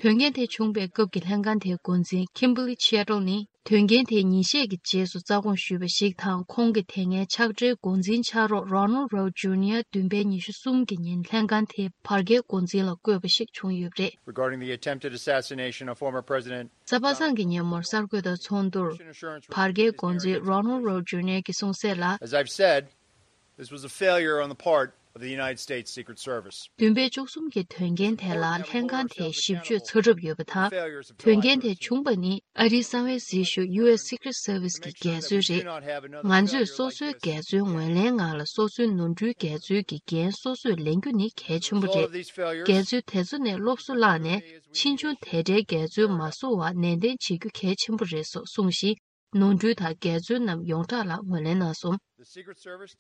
དོན་རྐྱེན་དེ་བྱུང་བའི་སྐབས་ཀྱི་ལྷན་ཁང་དེའི་འགོ་འཛིན་ཁིམ་བྷར་ལི་ཆེ་ཊལ་ནི་དོན་རྐྱེན་དེ་ཉིན་ཤས་ཀྱི་རྗེས་སུ་རྩ་དགོངས་ཞུས་པ་ཞིག་དང་། ཁོང་གིས་དེ་སྔའི་ཕྱག་སྦྲེལ་འགོ་འཛིན་ཕྱག་རོགས་རོ་ནལ་རོ་ཇུ་ནི་ཡར་བདུན་པའི་ཉི་ཤུ་གསུམ་གྱི་ཉིན་ལྷན་ཁང་དེའི་བར་བརྒལ་འགོ་འཛིན་ལ་བསྐོས་པ་ཞིག་བྱུང་ཡོད་པ་རེད། Regarding the attempted assassination of former President གཟའ་པ་སངས་ཀྱི་ཉིན་མོར་གསར་འགོད་དང་ཚོགས་འདུར་བར་བརྒལ་འགོ་འཛིན་རོ་ནལ་རོ་ཇུ་ནི་ཡར་གྱིས་གསུངས་གསལ་ལ། As I've said, this was a failure on the part of the United States Secret Service. བདུན་པའི་བཅུ་གསུམ་གྱི་དོན་རྐྱེན་དེ་ལ་ལྷན་ཁང་དེས་ཞིབ་དཔྱོད་ཚར་གྲབས་ཡོད་པ་དང་། དོན་རྐྱེན་དེ་བྱུང་པ་ནི་ཨ་རིའི་གསང་བའི་སྲི་ཞུ་ཡུ་ཨེས་སི་ཀི་རེཊ་སར་བི་སི་གི་འགལ་འཛོལ་རེད། ང་ཚོས་སོ་སོའི་འགལ་འཛོལ་ངོས་ལེན་ངང་ལ་སོ་སོའི་ནོར་འཁྲུལ་འགལ་འཛོལ་གྱི་འགན་སོ་སོས་ལེན་རྒྱུ་ནི་གལ་ཆེན་པོ་རེད། འགལ་འཛོལ་དེ་ཚོ་ནས་སློབ་གསོ་བླངས་ནས་ཕྱིས་འབྱུང་དེ་འདྲའི་འགལ་འཛོལ་མ་བཟོ་བར་ནན་ཏན་བྱེད་རྒྱུ་གལ་ཆེན་པོ་རེད་སོགས་གསུངས་ཤིང་། ནོར་འཁྲུལ་དང་འགལ་འཛོལ་རྣམས་ཡོངས་གྲགས་ལ་ངོས་ལེན་གནང་སོང་།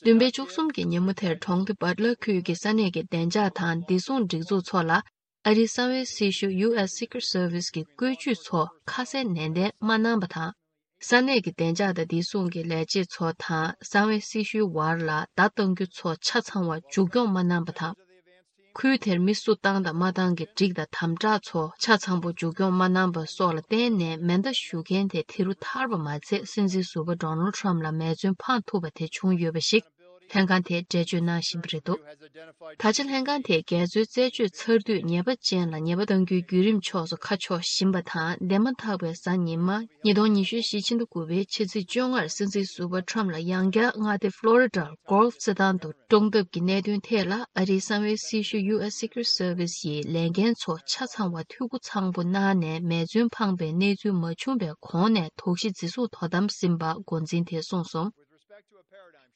བདུན་པའི་བཅུ་གསུམ་གྱི་ཉིན་མོ་དེར་གྲོང་སྡེ་བྷ་ཊ་ལར་ཁུལ་གྱི་ས་གནས་ཀྱི་བདེ་འཇགས་དང་བདེ་སྲུང་སྒྲིག་འཛུགས་ཚོ་ལ་ཨ་རིའི་གསང་བའི་སྲི་ཞུ་ཡུ་ཨེས་སི་ཀི་རེཊ་སར་བི་སི་གི་བཀོད་ཇུས་ཚོ་ཁ་གསལ་ནན་ཏན་མ་གནང་པ་དང་། ས་གནས་ཀྱི་བདེ་འཇགས་དང་བདེ་སྲུང་གི་ལས་བྱེད་ཚོ་དང་གསང་བའི་སྲི་ཞུའི་བར་ལ་བརྡ་གཏང་རྒྱུ་ཚོ་ཆ་ཚང་བ་མཇུག་སྐྱོང་མ་གནང་པ་དང་། ཁུལ་དེར་མི་སུ་བཏང་དང་མ་བཏང་གི་སྒྲིག་དང་དམ་དྲག་ཚོ་ཆ་ཚང་པོ་མཇུག་སྐྱོང་མ་གནང་པ་སོགས་ལ་བརྟེན་ནས་མེ་མདའ་གཞུ་མཁན་དེ་དེ་རུ་ཐར་པ་མ་ཚད། སྲིད་འཛིན་ཟུར་པ་ཌོ་ནལ་ཁྲམ་ལ་མེ་མཚོན་འཕངས་ཐུབ་པ་དེ་བྱུང་ཡོད་པ་ཞིག་ལྷན་ཁང་དེས་འགྲེལ་བརྗོད་གནང་བཞིན་པ་རེད་འདུག་ད་ཆ་ལྷན་ཁང་དེས་འགལ་འཛོལ་རྩད་གཅོད་ཚར་དུས་ཉེས་པ་ཅན་ལ་ཉེས་པ་གཏང་རྒྱུའི་བརྒྱུད་རིམ་ཕྱོགས་སུ་ཁ་ཕྱོགས་བཞིན་པ་དང་། འདས་མ་ཐག་པའི་གཟའ་ཉི་མ་ཉིས་སྟོང་ཉི་ཤུ་རྩ་བཞི་ཕྱི་ཟླ་དགུ་པའི་ཕྱི་ཚེས་བཅོ་ལྔར་སྲིད་འཛིན་ཟུར་པ་ཁྲམ་ལ་ཡང་བསྐྱར་མངའ་སྡེ་ཕློ་རི་ཌར་གོལ་ཕ་རྩེད་ཐང་དུ་བཀྲོངས་ཐབས་ཀྱི་གནད་དོན་ཐད་ལ་ཨ་རིའི་གསང་བའི་སྲི་ཞུ་ཡུ་ཨེས་སི་ཀི་རེཊ་སར་ཝི་སི་ཡི་ལས་འགན་ཚོ་ཆ་ཚང་བ་འཐུས་སྒོ་ཚང་པོ་གནང་ནས་མེ་མཚོན་འཕངས་པའི་གནས་ཚུལ་མ་བྱུང་བའི་གོང་ནས་དོགས་གཞི་འཛིན་བཟུང་དོ་དམ་ཟིན་པ་འགོ་འཛིན་དེས་གསུངས་སོང་།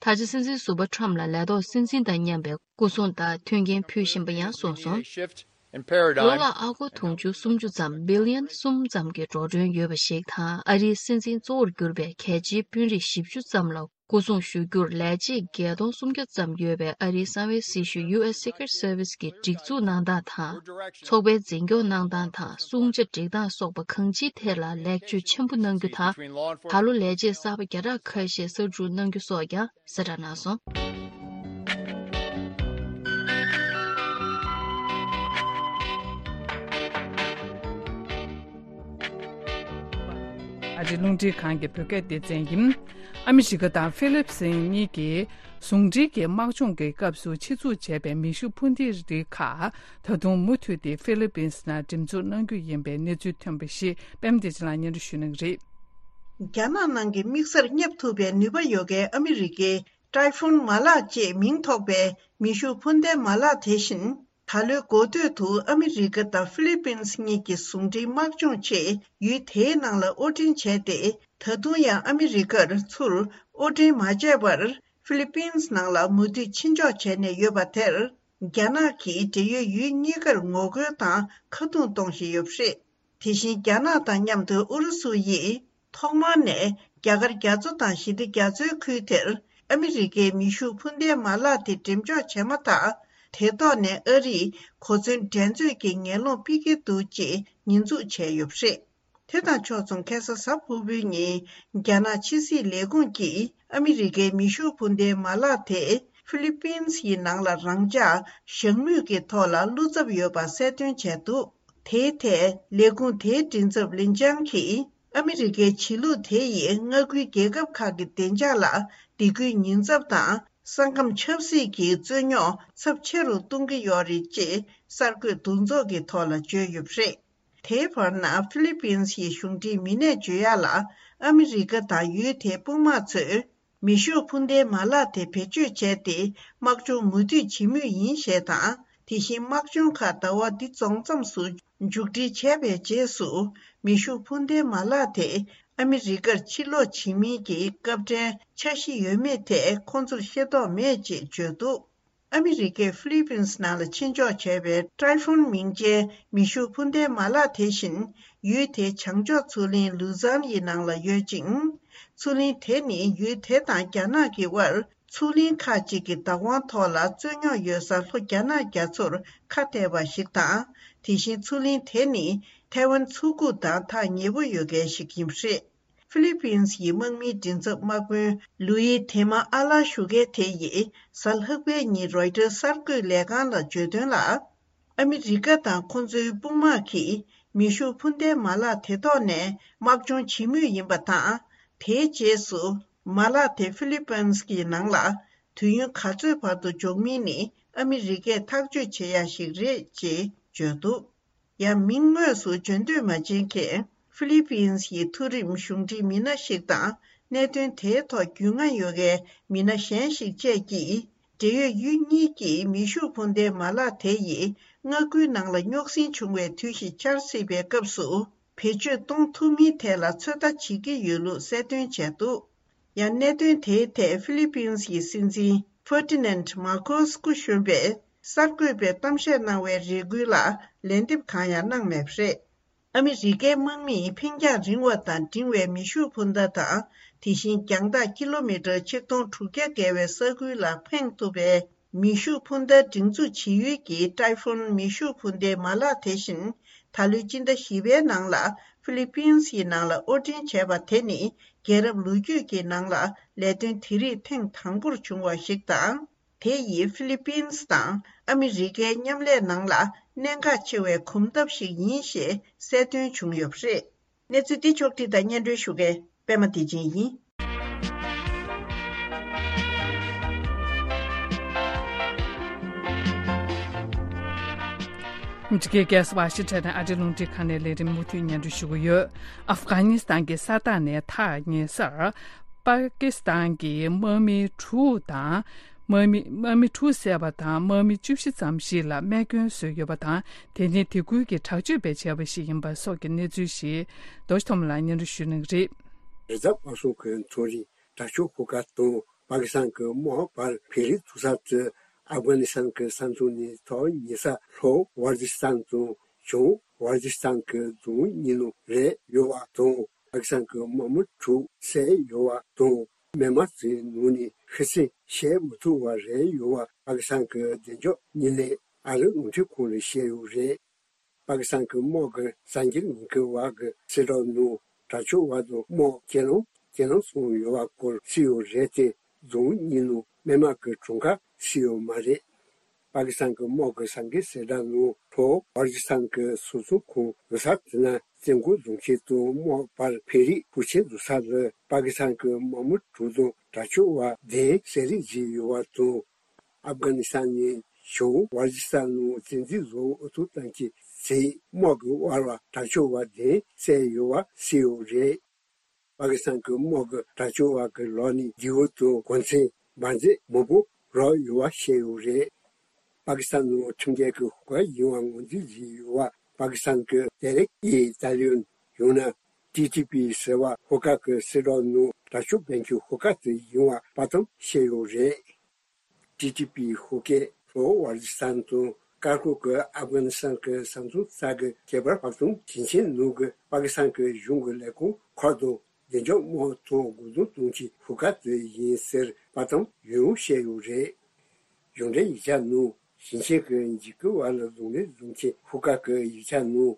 ད་ཆ་སྲིད་འཛིན་ཟུར་པ་ཁྲམ་ལ་ལས་ཐོག་སྲིད་འཛིན་དང་མཉམ་པའི་སྐུ་སྲུང་དང་མཐུན་རྐྱེན་ཕུལ་བཞིན་པ་ཡང་གསུངས་སོང་། ལོ་ལ་ཨ་སྒོར་དུང་ཕྱུར་སུམ་ཅུ་ཙམ་བི་ལི་ཡན་གསུམ་ཙམ་གྱི་འགྲོ་གྲོན་ཡོད་པ་ཞིག་དང་། ཨ་རིའི་སྲིད་འཛིན་གཙོ་བོར་གྱུར་པའི་གལ་ཆེའི་དཔོན་རིགས་བཞི་བཅུ་ཙམ་ལ་སྐུ་སྲུང་ཞུ་རྒྱུར་ལས་བྱེད་བརྒྱད་སྟོང་སུམ་བརྒྱ་ཙམ་ཡོད་པའི་ཨ་རིའི་གསང་བའི་སྲི་ཞུ་ཡུ་ཨེས་སི་ཀི་རེཊ་སར་ཝི་སི་གི་སྒྲིག་འཛུགས་གནང་སྟངས་དང་། ཚོགས་པའི་འཛིན་སྐྱོང་གནང་སྟངས་དང་། སྲུང་བྱ་སྒྲིག་སྟངས་སོགས་པ་གང་ཅིའི་ཐད་ལ་ལེགས་བཅོས་ཆེན་པོ་གནང་རྒྱུ་དང་། ད་ལོ་ལས་བྱེད་གསར་པ་བརྒྱ་ཕྲག་ཁ་ཤས་གསར་འཇུག་གནང་རྒྱུ་སོགས་ཀྱང་གསལ་བསྒྲགས་གནང་སོང་། ཨ་རིའི་རླུང་འཕྲིན་ཁང་གི་བོད་སྐད་སྡེ་ཚན་ཡིན། ཨ་མི་རི་ཀ་དང་ཧྥི་ལིབ་སིན་གཉིས་ཀྱིས་ཟུང་འབྲེལ་གྱི་དམག་སྦྱོང་གི་སྐབས་སུ་ཆེད་འཛུགས་བྱས་པའི་མེ་ཤུགས་འཕུར་མདེལ་རིགས་ཁག་ད་དུང་མུ་མཐུད་དེ་ཧྥི་ལི་པིན་སི་ནང་འགྲེམས་འཛུགས་གནང་རྒྱུ་ཡིན་པའི་གནས་ཚུལ་ཐོན་པ་ཞིག་པད་མ་བདེ་ཆེན་ལགས་སྙན་སྒྲོན་ཞུ་གནང་གི་རེད། རྒྱ་ནག་ནང་གི་དམིགས་སར་བསྙབ་ཐུབ་པའི་ནུས་པ་ཡོད་མཁན་ཨ་མི་རི་ཀའི་ཏྲའི་ཧྥུན་མ་ལག་ཅེས་མིང་ཐོགས་པའི་མེ་ཤུགས་འཕུར་མདེལ་མ་ལག་དེ་བཞིན། ད་ལོའི་འགོ་སྟོད་དུ་ཨ་མི་རི་ཀ་དང་ཧྥི་ལི་པིན་སི་གཉིས་ཀྱི་ཟུང་འབྲེལ་དམག་སྦྱོང་ཆེད་ཡུལ་དེའི་ནང་ལ་དབོར་འདྲེན་བྱས་ཏེ། ད་དུང་ཡང་ཨ་མི་རི་ཀར་ཚུར་དབོར་འདྲེན་མ་བྱས་པར་ཧྥི་ལི་པིན་སི་ནང་ལ་མུ་མཐུད་ཕྱིར་འཇོག་བྱས་ནས་ཡོད་པ་དེར། རྒྱ་ནག་གིས་འབྲེལ་ཡོད་ཡུལ་གཉིས་ཀར་ངོ་རྒོལ་དང་ཁ་རྡུང་གཏོང་བཞིན་ཡོད་པ་རེད། དེ་བཞིན་རྒྱ་ནག་དང་མཉམ་དུ་ཨུ་རུ་སུ་ཡིས་ཐོག་མར་ནས་རྒྱ་གར་རྒྱ་མཚོ་དང་ཞི་བདེ་རྒྱ་མཚོའི་ཁུལ་དེར་ཨ་མི་རི་ཀའི་མེ་ཤུགས་འཕུར་མདེལ་མ་ལག་དེ་འགྲེམས་འཇོག་བྱས་མ་ཐག་དེ་ཐོག་ནས་ཨ་རིས་གོ་མཚོན་འགྲན་རྩོད་ཀྱི་ངན་སློང་སྤེལ་གྱི་འདུག་ཅེས་ཉེས་འཛུགས་བྱས་ཡོད་པ་རེད། དེ་དང་ཕྱོགས་མཚུངས་ཁ་སང་གཟའ་ཕུར་བུའི་ཉིན་རྒྱ་ནག་ཕྱི་སྲིད་ལས་ཁུངས་ཀྱིས་ཨ་མི་རི་ཀའི་མེ་ཤུགས་འཕུར་མདེལ་མ་ལག་དེ་ཧྥི་ལི་པིན་སི་ཡི་ནང་ལ་རང་འཇགས་བཞག་མུས་ཀྱི་ཐོག་ལ་བློ་འཚབ་ཡོད་པ་གསལ་སྟོན་བྱས་འདུག་དེའི་ཐད་ལས་ཁུངས་དེའི་མགྲིན་ཚབ་ལིན་ཅང་གིས། ཨ་མི་རི་ཀའི་བྱེད་ལུགས་དེ་ཡིས་མངའ་ཁུལ་རྒྱལ་ཁབ་ཁག་གི་བདེ་འཇགས་ལ་སྡིགས་སྐུལ་ཉེན་ཚབས་དང་ས་ཁམས་ཆབ་སྲིད་ཀྱི་རྩོད་རྙོག་ཚབས་ཆེ་རུ་གཏོང་གི་ཡོད་རེད་ཅེས་གསར་འགོད་འདུ་ཚོགས་ཀྱི་ཐོག་ལ་བརྗོད་ཡོད་པ་རེད། དེའི་བར་ན་ཧྥི་ལི་པིན་སི་ཡི་གཞུང་འབྲེལ་མི་སྣས་བརྗོད་ཡག་ལ། ཨ་མི་རི་ཀ་དང་ཡུལ་དེའི་དཔུང་དམག་ཚོས། མེ་ཤུགས་འཕུར་མདའི་མ་ལག་དེ་བེད་སྤྱོད་བྱས་ཏེ་དམག་སྦྱོང་མུ་མཐུད་བྱེད་མུས་ཡིན་ཞེས་དང་། དེ་བཞིན་དམག་སྦྱོང་ཁག་ཟླ་བ་འདི་རྫོགས་མཚམས་སུ་མཇུག་སྒྲིལ་བྱས་པའི་རྗེས་སུ། མེ་ཤུགས་འཕུར་མདའི་མ་ལག་དེ་ཨ་མི་རི་ཀར་ཕྱིར་སློག་བྱེད་མིན་གྱི་སྐབས་འཕྲལ་འཆར་གཞི་ཡོད་མེད་ཐད་ཁོང་ཚོར་ཤེས་རྟོགས་མེད་ཅེས་བརྗོད་འདུག་ཨ་མི་རི་ཀས་ཧྥི་ལི་པིན་སི་ནང་ལ་ཕྱིར་འཇོག་བྱས་པའི་ཏྲའི་ཧྥུན་མིང་ཅན་མེ་ཤུགས་འཕུར་མདའི་མ་ལག་དེ་བཞིན། ཡུལ་དེའི་བྱང་ཕྱོགས་མཚོ་གླིང་ལུ་ཛན་ཡི་ནང་ལ་ཡོད་ཅིང་། མཚོ་གླིང་དེ་ནི་ཡུལ་དེ་དང་རྒྱ་ནག་གི་དབར་མཚོ་གླིང་ཁག་ཅིག་གི་བདག་དབང་ཐོག་ལ་རྩོད་རྙོག་ཡོད་སར་ལྷོ་རྒྱ་ནག་རྒྱ་མཚོར་ཁ་གཏད་པ་ཞིག་དང་། དེ་བཞིན་མཚོ་གླིང་དེ་ནི་ཐའེ་ཝན་མཚོ་ཁུག་དང་ཐག་ཉེ་པོ་ཡོད་མཁན་ཞིག་ཡིན་པ་རེད། ཧྥི་ལི་པིན་སི་ཡི་དམག་མིའི་མགྲིན་ཚབ་དམག་དཔོན་ལུའི་དེ་མ་ཨ་ལ་ཞུ་མཁན་དེ་ཡིས་གཟའ་ལྷག་པའི་ཉིན་རོའི་ཊར་གསར་འགོད་ལས་ཁང་ལ་བརྗོད་དོན་ལ། ཨ་མི་རི་ཀ་དང་ཁོ་ཚོའི་དཔུང་དམག་གིས་མེ་ཤུགས་འཕུར་མདའི་མ་ལག་དེ་ཐོག་ནས་དམག་སྦྱོང་བྱེད་མུས་ཡིན་པ་དང་། དེའི་རྗེས་སུ་མ་ལག་དེ་ཧྥི་ལི་པིན་སི་གི་ནང་ལ་དུས་ཡུན་ག་ཚོད་བར་དུ་འཇོག་མིན་ནི་ཨ་མི་རི་ཀས་ཐག་གཅོད་བྱེད་ཡ་ཞིག་རེད་ཅེས་བརྗོད་འདུག་ཡང་མིང་དངོས་སུ་བརྗོད་འདོད་མ་བྱེད་མཁན་ཧྥི་ལི་པིན་སི་ཡི་མཐོ་རིམ་གཞུང་འབྲེལ་མི་སྣ་ཞིག་དང་། གནད་དོན་དེའི་ཐོག་རྒྱུས་མངའ་ཡོད་མཁན་མི་སྣ་གཞན་ཞིག་བཅས་ཀྱིས། འབྲེལ་ཡོད་ཡུལ་གཉིས་ཀྱིས་མེ་ཤུགས་འཕུར་མདའི་མ་ལག་དེ་ཡིས་མངའ་ཁུལ་ནང་ལ་རྙོག་ཟིང་བྱུང་བའི་དུས་ཤིག་འཆར་སྲིད་པའི་སྐབས་སུ། བེད་སྤྱོད་གཏོང་ཐུབ་མིན་ཐད་ལ་ཚོད་ལྟ་བྱེད་ཀྱི་ཡོད་ལུགས་གསལ་སྟོན་བྱས་འདུག་ཡང་གནད་དོན་དེའི་ཐད་ཧྥི་ལི་པིན་སི་ཡི་སྲིད་འཛིན་ཧྥར་ཏི་ནན་མར་ཁོ་སི་སྐུ་གཞོན་པས་གསར་འགོད་པའི་གཏམ་བཤད་གནང་བའི་རེ་སྐུལ་ལ་ལན་འདེབས་གང་ཡང་གནང་མེད་པ་རེད། ཨ་མི་རི་ཀའི་དམག་མིས་འཕེན་རྒྱང་རིང་བ་དང་འབྲིང་བའི་མེ་ཤུགས་འཕུར་མདའ་དང་། དེ་བཞིན་རྒྱང་ཐག་ཀི་ལོ་མི་ཊར་ཆིག་སྟོང་དྲུག་བརྒྱ་བརྒལ་བའི་ས་ཁུལ་ལ་འཕེན་ཐུབ་པའི་མེ་ཤུགས་འཕུར་མདའ་སྒྲིག་འཛུགས་བྱེད་ཡུལ་གྱི་ཏྲའི་ཧྥུན་མེ་ཤུགས་འཕུར་མདའི་མ་ལག་དེ་བཞིན། ད་ལོའི་སྤྱི་ཟླ་བཞི་པའི་ནང་ལ་ཧྥི་ལི་པིན་སིའི་ནང་ལ་དབོར་འདྲེན་བྱས་པ་དེ་ནི། རྒྱལ་རབས་ལོ་རྒྱུས་ཀྱི་ནང་ལ་ལས་དོན་དེ་རིགས་ཐེངས་དང་པོར་བྱུང་བ་ཞིག་དང་། དེ་ཡིས་ཧྥི་ལི་པིན་སི་དང་ཨ་མི་རི་ཀའི་མཉམ་ལས་ནང་ལ་གནད་འགག་ཆེ་བའི་གོམ་སྟབས་ཤིག་ཡིན་ཞེས་གསལ་སྟོན་བྱུང་ཡོད་པ་རེད། གནས་ཚུལ་འདི་ཕྱོགས་བསྒྲིགས་དང་སྙན་སྒྲོན་ཞུ་མཁན་པད་མ་བདེ་ཆེན་ཡིན། འཇིགས་སྐར་ཝ་ཤིང་ཊོན་ཨ་རིའི་རླུང་འཕྲིན་ཁང་ནས་ལས་རིམ་མུ་མཐུད་སྙན་སྒྲོན་ཞུ་གི་ཡོད། ཨབ་གྷ་ནི་སི་ཐན་གྱི་ས་ཐག་ནས་ཐག་ཉེ་སར། པ་ཀི་སི་ཐན་གྱི་དམག་མི་དྲུག་དང་། དམག་མི་དམག་མི་དྲུག་བསད་པ་དང་དམག་མི་བཅུ་བཞི་ཙམ་ཞིག་ལ་རྨས་སྐྱོན་བཟོས་ཡོད་པ་དང་། དེ་ནི་དེ་ཁུལ་གྱི་དྲག་སྤྱོད་པས་བྱས་པ་ཞིག་ཡིན་པ་སོགས་ཀྱི་གནས་ཚུལ་ཞིག་རྡོ་རྗེ་ཐོགས་མེད་ལགས་སྙན་སྒྲོན་ཞུ་གནང་གི་རེད། རེས་གཟའ་པ་སངས་ཀྱི་མཚན་རིང་དྲག་སྤྱོད་ཤོག་ཁག་དང་པ་ཀི་སི་ཐན་གྱི་དམག་བར་བྷེ་རི་འཛུལ་ས་དེ་ཨབ་གྷ་ནི་སི་ཐན་གྱི་ས་མཚམས་ནས་ཐག་ཉེ་ས་ལྷོ་ཝ་ཛི་སི་ཐན་དང་བྱང་ཝ་ཛི་སི་ཐན་གྱི་རྫོང་གཉིས་ནང་རེད་ཡོད་པ་དང་། པ་ཀི་སི་ཐན་གྱི་དམག་མི་དྲུག་བསད་ཡོད་པ་དང་། རྨས་མ་ཚོའི་ནང་ནས་ཤི་གསོན་བཤད་མི་ཐུབ་པ་རེད་ཡོད་པ་པ་ཀི་སི་ཐན་གྱི་བདེ་འཇགས་དངོས་གནས་ཨ་རིའི་རླུང་འཕྲིན་ཁང་ལ་བཤད་ཡོད་རེད། པ་ཀི་སི་ཐན་གྱི་དམག་གི་གསར་འགྱུར་ཉན་མཁན་བར་གྱི་གསལ་བསྒྲགས་ནང་། དྲག་སྤྱོད་པ་དང་དམག་ཁྱེར་ལམ་ཁྱེར་ལམ་སོང་ཡོད་པ་སྐོར་བརྩིས་ཡོད་རེད་དེ། རྫོང་གཉིས་ནང་རྨས་མ་གི་གྲངས་ཀ་བརྩིས་ཡོད་མ་རེད། པ་ཀི་སི་ཐན་གྱི་དམག་གི་གསར་འགྱུར་གསལ་བསྒྲགས་ནང་ལྷོ་ཝ་ཛི་སི་ཐན་གྱི་སོ་སོ་ཁོངས་རུ་ས་དེ་ན་བཙན་རྒོལ་རྫོང་ཆེན་དང་དམག་བར་བྷེ་རི་ཕུ་ཆེན་འཛུལ་ས་ལ་པ་ཀི་སི་ཐན་གྱི་དམག་མི་དྲུག་དང་དྲག་སྤྱོད་པ་བདུན་བསད་རེས་བྱས་ཡོད་པ་དང་། ཨབ་གྷ་ནི་སི་ཐན་ནས་བྱང་ཝར་ཛི་སི་ཐན་ནང་བཙན་འཛུལ་བཟོ་འོས་ཐོབ་ཐང་གི་ཚེ་དམག་གི་དབར་བ་དྲག་སྤྱོད་པ་བདུན་བསད་ཡོད་པ་གསལ་ཡོད་རེད། པ་ཀི་སི་ཐན་གྱི་དམག་གི་དྲག་སྤྱོད་པ་གི་ལག་ནས་རྒྱལ་པོ་དང་གོ་མཚོན་འབར་རྫས་མང་པོ་རག་ཡོད་པ་བཤད་ཡོད་རེད། པ་ཀི་སི་ཐན་ནང་ཁྲིམས་འགལ་གྱི་ཤོག་ཁག་ཡིན་པ་ངོས་འཛིན་བྱས་ཡོད་པ་པ་ཀི་སི་ཐན་གྱི་ཏེ་ཧྲིག་ཨི་ཏཱ་ལི་བན་ཡང་ན་ཏི་ཏི་པི་ཟེར་བ་ཤོག་ཁག་གི་གསལ་བསྒྲགས་ནང་དྲག་སྤྱོད་སྤེལ་མཁན་ཤོག་ཁག་དེ་ཡིན་པ་དཔའ་གཏམ་བཤད་ཡོད་རེད། ཏི་ཏི་པི་ཤོག་ཁག་ལྷོ་ཝར་ཛི་སི་ཐན་དང་ཀར་ཀོ་གི་ཨབ་གྷ་ནི་སི་ཐན་གྱི་ས་མཚམས་ས་གི་ཁེ་བར་བག་སྟོང་ཞིང་ཆེན་ནང་གི་པ་ཀི་སི་ཐན་གྱི་གཞུང་གི་ལས་ཁུངས་ཁག་དང་བདེ་འཇགས་དམག་ཐོག་སྒོ་འདོན་གཏོང་ཆེད་ཤོག་ཁག་དེ་ཡིན་ཟེར་དཔའ་གཏམ་ཡང་ཡང་བཤད་ཡོད་རེད། གཞུང་འབྲེལ་ཡིག་ཆ་ནང་ཞིང་ཆེན་གྱི་འཇིགས་སྐུལ་བ་ལ་གདོང་ལེན་བཟོ་མཁན་ཤོག་ཁག་གི་ཡིག་ཆ་ནང་།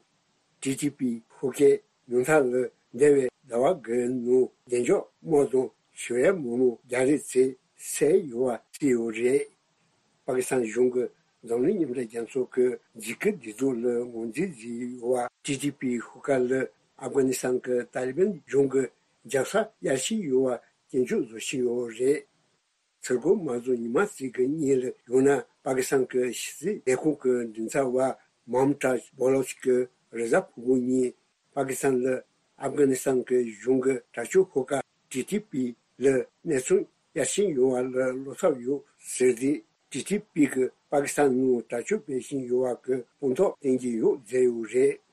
ཏི་ཏི་པི་ཤོག་ཁག་ཉུང་མཐའ་ལ་འདས་པའི་ཟླ་བ་འགའི་ནང་བདེ་འཇགས་དམག་དང་ཞི་བའི་དམག་མི་བརྒྱ་རེ་ཙམ་བསད་ཡོད་པ་བརྩིས་ཡོད་རེད། པ་ཀི་སི་ཐན་གཞུང་གི་འཛམ་གླིང་མཉམ་འབྲེལ་རྒྱལ་ཚོགས་ཀྱི་འཇིགས་སྐུལ་སྒྲིག་འཛུགས་ལ་ངོས་འཛིན་བྱས་ཡོད་པ། ཏི་ཏི་པི་ཤོག་ཁག་ལ་ཨབ་གྷ་ནི་སི་ཐན་གྱི་ཏཱ་ལི་བན་གཞུང་གི་རྒྱབ་ས་གཡར་བཞིན་ཡོད་པ་སྐྱོན་བརྗོད་བཟོ་བཞིན་ཡོད་རེད། ཚུར་རྒོལ་མ་བཟོ་ཉི་མ་གཅིག་གི་སྔོན་ལ་ཡང་ན་པ་ཀི་སི་ཐན་གྱི་ཕྱི་སྲིད་ལས་ཁུངས་ཀྱི་མགྲིན་ཚབ་པ་མམ་ཏཱཇ་བྷ་ལོཆ་གིས་རེས་གཟའ་ཕུར་བུ་ཉིན་པ་ཀི་སི་ཐན་ལ་ཨབ་གྷ་ནི་སི་ཐན་གྱི་གཞུང་གི་དྲག་སྤྱོད་ཤོག་ཁག་ཏི་ཏི་པི་ལ་གནས་ཚུལ་གཡར་བཞིན་ཡོད་པ་ལ་བློ་འཚབ་ཡོད་ཟེར་ཏེ། ཏི་ཏི་པི་གིས་པ་ཀི་སི་ཐན་ནང་དྲག་སྤྱོད་སྤེལ་བཞིན་ཡོད་པ་གི་དཔང་རྟགས་བསྟན་གྱི་ཡོད་ཟེར་ཡོད་རེད།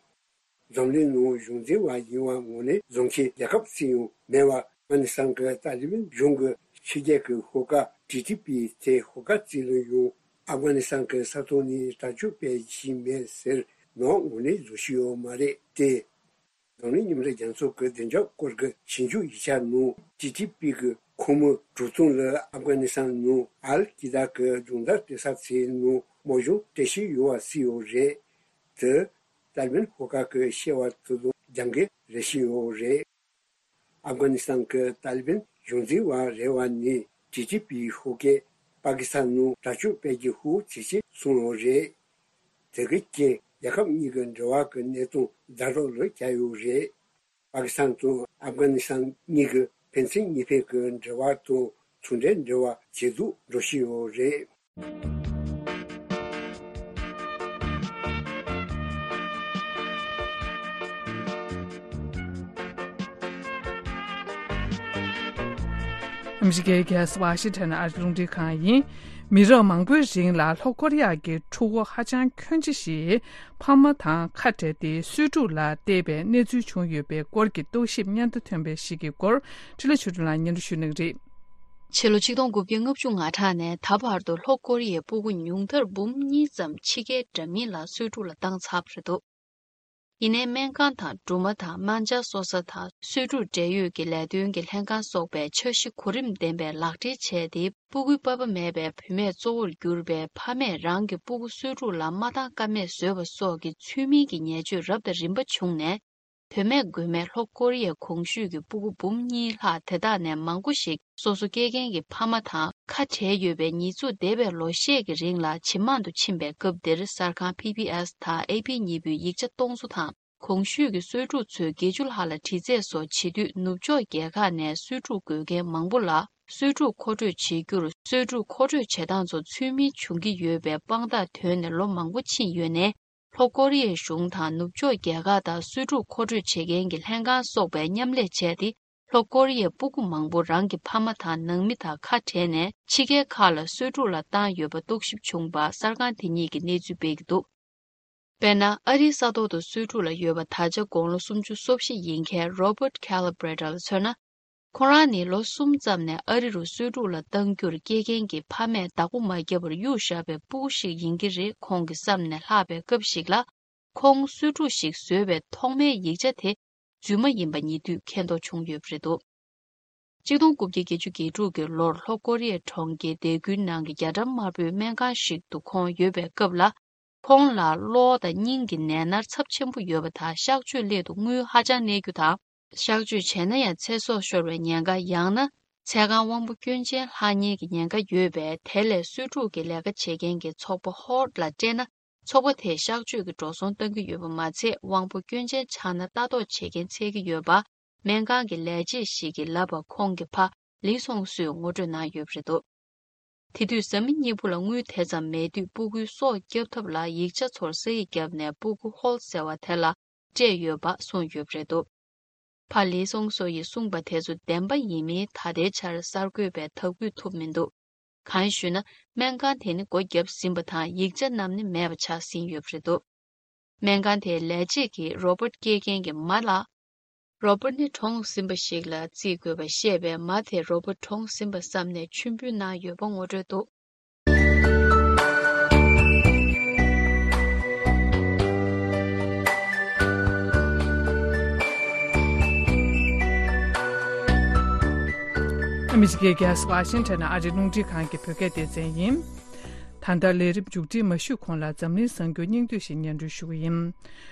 འཛམ་གླིང་ནང་གཞུང་འཛིན་པ་ཡིན་པ་ངོས་ནས་བཟོ་མཁན་རྒྱལ་ཁབ་གཅིག་ཡང་མེད་པ། ཨབ་གྷ་ནི་སི་ཐན་གྱི་ཏཱ་ལི་བན་གཞུང་གི་ཕྱི་རྒྱལ་གྱི་ཤོག་ཁག་ཏི་ཏི་པི་དེ་ཤོག་ཁག་གཅིག་ལ་ཡང་ཨབ་གྷ་ནི་སི་ཐན་གྱི་ས་ཐོག་ནས་དྲག་སྤྱོད་སྤེལ་བཞིན་མེད་ཟེར་ནག་ངོས་ནས་བཟོ་བཞིན་ཡོད་མ་རེད་དེ། འཛམ་གླིང་མཉམ་འབྲེལ་རྒྱལ་ཚོགས་ཀྱི་བདེ་འཇགས་སྐོར་གྱི་ཞིབ་འཇུག་ཡིག་ཆ་ནང་ཏི་ཏི་པི་གི་ཁོངས་མི་དྲུག་སྟོང་ལ་ཨབ་གྷ་ནི་སི་ཐན་ནང་ཨལ་ཀི་ད་གི་སྦྱོང་བརྡར་སྤྲད་ས་ཚོའི་ནང་དམག་སྦྱོང་སྤྲད་བཞིན་ཡོད་པ་གསལ་ཡོད་རེད། དེ། ཏཱ་ལི་བན་ཤོག་ཁག་གིས་བཤད་པ་དེ་དང་རྒྱབ་འགལ་རེད་བཞིན་ཡོད་རེད། ཨབ་གྷ་ནི་སི་ཐན་གྱི་ཏཱ་ལི་བན་གཞུང་འཛིན་པ་རེ་བ་ནས་ཏི་ཏི་པི་ཤོག་ཁག་པ་ཀི་སི་ཐན་ནང་དྲག་སྤྱོད་སྤེལ་རྒྱུ་ཤུགས་ཇེ་ཆེ་སོང་ཡོད་རེད། དེ་གི་རྐྱེན་རྒྱལ་ཁབ་གཉིས་ཀྱི་འབྲེལ་བ་གི་གནས་སྟངས་ཛ་དྲག་ལ་གྱུར་ཡོད་རེད། པ་ཀི་སི་ཐན་དང་ཨབ་གྷ་ནི་སི་ཐན་གཉིས་ཀྱི་ཕན་ཚུན་གཉིས་ཕན་གྱི་འབྲེལ་བ་དང་ཚོང་འབྲེལ་འབྲེལ་བ་ཇེ་སྡུག་འགྲོ་བཞིན་ཡོད་རེད། ཨ་མི་རི་ཀའི་རྒྱལ་ས་ཝ་ཤིང་ཊོན་ཨ་རིའི་རླུང་འཕྲིན་ཁང་ཡིན། མི་རབས་མང་པོའི་རིང་ལ་ལྷོ་ཀོ་རི་ཡ་གི་ཕྲུ་གུ་ཧ་ཅང་ཁྱོན་ཆེ་ཞིག་ཕ་མ་དང་ཁ་བྲལ་ཏེ་གསོས་ཕྲུག་ལ་བལྟས་པའི་གནས་ཚུལ་བྱུང་ཡོད་པའི་སྐོར་གྱི་རྟོག་ཞིབ་སྙན་ཐོ་ཐོན་པ་ཞིག་གི་སྐོར་འཕྲིན་ལས་ཆོས་སྒྲོན་ལགས་སྙན་སྒྲོན་ཞུ་གནང་གི་རེད། ཕྱི་ལོ་ཆིག་སྟོང་དགུ་བརྒྱ་ལྔ་བཅུ་ང་གྲངས་ནས་ད་བར་དུ་ལྷོ་ཀོ་རི་ཡའི་སྤུ་གུ་ཉུང་མཐར་འབུམ་གཉིས་ཙམ་ཕྱི་རྒྱལ་འདྲ་མིན་ལ་གསོས་ཕྲུག་ལ་བཏང་ཚར་བ་རེད་འདུག་ཡིན་ནའི་སྨན་ཁང་དང་སྦྲུམ་མ་དང་སྨན་སྦྱར་གསོ་ས་དང་གསོས་ཕྲུག་འབྲེལ་ཡོད་ཀྱི་ལས་དོན་གྱི་ལྷན་ཁང་སོགས་པའི་འཆར་གཞི་གོ་རིམ་ལྡན་པའི་ལག་སྦྲེལ་བྱས་ཏེ། སྤུ་གུའི་པ་ཕ་མེད་པའི་བུད་མེད་གཙོ་བོར་གྱུར་པའི་ཕ་མས་རང་གི་སྤུ་གུ་གསོས་ཕྲུག་ལ་མ་བཏང་ཀ་མེད་བཟོས་པ་སོགས་ཀྱི་ཚུལ་མིན་གྱི་ཉེས་སྤྱོད་རབ་དང་རིམ་པ་བྱུང་ནས། དོན་མེད་དགོས་མེད་ལྷོ་ཀོ་རི་ཡའི་གོང་ཞུས་ཀྱི་སྤུ་གུ་འབུམ་གཉིས་ལྷག་དེ་དག་ནས་མང་པོ་ཞིག་སོ་སོ་སྐྱེ་མཁན་གྱི་ཕ་མ་དང་ཁ་བྲལ་ཡོད་པའི་ཉེས་འཛུགས་འདས་པའི་ལོ་ཤས་ཀྱི་རིང་ལ་ཇེ་མང་དུ་ཕྱིན་པའི་སྐབས་འདིར། གསར་ཁང་པི་བི་ཨེས་དང་ཨེ་པི་གཉིས་པོས་ཡིག་ཆ་སྟོང་ཚོ་དང་། གོང་ཞུས་ཀྱི་གསོས་ཕྲུག་ཚོས་བརྒྱད་ཅུ་ལྷག་ལ་དྲི་རྩད་སོགས་བྱེད་དུས། ནུབ་ཕྱོགས་རྒྱལ་ཁག་ནས་གསོས་ཕྲུག་དགོས་མཁན་མང་པོ་ལ་གསོས་ཕྲུག་མཁོ་སྤྲོད་བྱེད་རྒྱུར། གསོས་ཕྲུག་མཁོ་སྤྲོད་བྱེད་སྟངས་ཚོ་ཚུལ་མིན་བྱུང་གི་ཡོད་པའི་དཔང་རྟགས་ཐོན་ནས་ལོ་མང་པོ་ཕྱིན་ཡོད་ནའི། ལྷོ་ཀོ་རི་ཡའི་གཞུང་དང་ནུབ་ཕྱོགས་རྒྱལ་ཁག་དང་གསོས་ཕྲུག་མཁོ་སྤྲོད་བྱེད་མཁན་གྱི་ལྷན་ཁང་སོགས་པས་མཉམ་ལས་བྱས་ཏེ། ལྷོ་ཀོ་རི་ཡའི་སྤུ་གུ་མང་པོ་རང་གི་ཕ་མ་དང་ནང་མི་དང་ཁ་བྲལ་ནས་ཕྱི་རྒྱལ་ཁག་ལ་གསོས་ཕྲུག་ལ་བཏང་ཡོད་པ་རྟོག་ཞིབ་བྱུང་བ་གསར་ཁང་དེ་ཉིད་ཀྱིས་གནས་ཚུལ་སྤེལ་གྱི་འདུག་དཔེར་ན། ཨ་རིའི་ས་ཐོག་ཏུ་གསོས་ཕྲུག་ལ་ཡོད་པ་ད་ཆ་དགུང་ལོ་སུམ་ཅུ་སོ་བཞི་ཡིན་མཁན་Robert Calabretta ལ་མཚོན་ན། ཁོ་རང་ནི་ལོ་གསུམ་ཙམ་ནས་ཨ་རི་རུ་གསོས་ཕྲུག་ལ་བཏང་རྒྱུར་སྐྱེལ་མཁན་གྱི་ཕ་མས་བདག་པོ་མ་བརྒྱབ་པར་གཡུགས་བཞག་པའི་སྤུ་གུ་ཞིག་ཡིན་གྱི་རེད། ཁོང་གི་བསམ་ནས་ལྷག་པའི་སྐབས་ཤིག་ལ། ཁོང་གསོས་ཕྲུག་ཞིག་བཟོས་པའི་ཐོག་མའི་ཡིག་ཆ་དེ་རྫུན་མ་ཡིན་པ་ཉེ་དུས་མཁྱེན་རྟོགས་བྱུང་ཡོད་པ་རེད་འདུག་ཆིག་སྟོང་དགུ་བརྒྱ་བརྒྱད་ཅུ་གྱ་དྲུག་གི་ལོར་ལྷོ་ཀོ་རི་ཡའི་གྲོང་ཁྱེར་སྡེ་ཁུལ་ནང་གི་རྒྱ་གྲམ་དམར་པོའི་སྨན་ཁང་ཞིག་ཏུ་ཁོང་ཡོད་པའི་སྐབས་ལ། ཁོང་ལ་གློ་དང་སྙིང་གི་ནད་མནར་ཚབས་ཆེན་པོ་ཡོད་པ་དང་། གཤག་བཅོས་སླད་དུ་དངུལ་ཧ་ཅང་གནས་རྒྱུ་དང་། གཤག་བཅོས་བྱས་ན་ཡང་ཚེ་སྲོག་ཤོར་བའི་ཉེན་ཁ། ཡང་ན་ཚེ་གང་དབང་པོ་སྐྱོན་ཅན་ལྷག་ཉེན་གྱི་ཉེན་ཁ་ཡོད་པས། དེ་ལས་གསོས་ཕྲུག་གི་ལས་ཀ་བྱེད་མཁན་གྱི་ཚོགས་པ་ཧོར་ལ་སྤྲད་ན། ཚོགས་པ་དེས་གཤག་བཅོས་ཀྱི་འགྲོ་སོང་གཏང་གི་ཡོད་པ་མ་ཚད། དབང་པོ་སྐྱོན་ཅན་ཆགས་ན་ལྟ་རྟོག་བྱེད་མཁན་འཚོལ་གྱི་ཡོད་པ། སྨན་ཁང་གི་ལས་བྱེད་ཞིག་གིས་ལབ་པ་ཁོང་གི་ཕ་ལི་སོང་སོས་ངོ་སྤྲོད་གནང་ཡོད་པ་རེད་འདུག་དེ་དུས་བཟའ་མི་གཉིས་པོ་ལ་དངུལ་དེ་ཙམ་མེད་དུས། སྤུ་གུའི་སྲོག་སྐྱོབ་ཐབས་ལ་ཡིག་ཆ་ཚོར་ས་ཡིག་བརྒྱབ་ནས། སྤུ་གུ་ཧོལ་ཟེར་བ་དེ་ལ་སྤྲད་ཡོད་པ་གསུངས་ཡོད་པ་རེད་འདུག་ཕ་ལི་སོང་སོ་ཡིས་གསུངས་པ་དེ་ཚོ་བདེན་པ་ཡིན་མིན་ད་ལྟའི་ཆར་གསར་འགོད་པས་ཐག་གཅོད་ཐུབ་མི་འདུག་གང་ཞུས་ན། སྨན་ཁང་དེ་ནི་སྒོ་བརྒྱབ་ཟིན་པ་དང་། ཡིག་ཆ་རྣམས་ནི་མེད་པ་ཆགས་ཟིན་ཡོད་པ་རེད་འདུག་སྨན་ཁང་དེའི་ལས་བྱེད་ཀྱིས་རོ་བོ་ཊི་སྐྱེལ་མཁན་གྱི་མ་ལ། རོ་བོ་ཊི་ནི་གྲོངས་ཟིན་པ་ཞིག་ལ་བརྩི་དགོས་པ་ཤེས་པས། མ་དེ་རོ་བོ་ཊི་གྲོངས་ཟིན་པ་བསམ་ནས་མཆོད་འབུལ་གནང་ཡོད་པ་ངོ་སྤྲོད་འདུག་ཨ་མི་རི་ཀའི་རྒྱལ་ས་ཝ་ཤིང་ཊོན་ནས་ཨ་རིའི་རླུང་འཕྲིན་ཁང་གི་བོད་སྐད་སྡེ་ཚན་ཡིན། ད་ལྟ་ལས་རིམ་མཇུག་སྒྲིལ་མ་ཞུས་གོང་ལ། འཛམ་གླིང་གསར་འགྱུར་སྙིང་བསྡུས་ཤིག་སྙན་སྒྲོན་ཞུ་གི་ཡིན།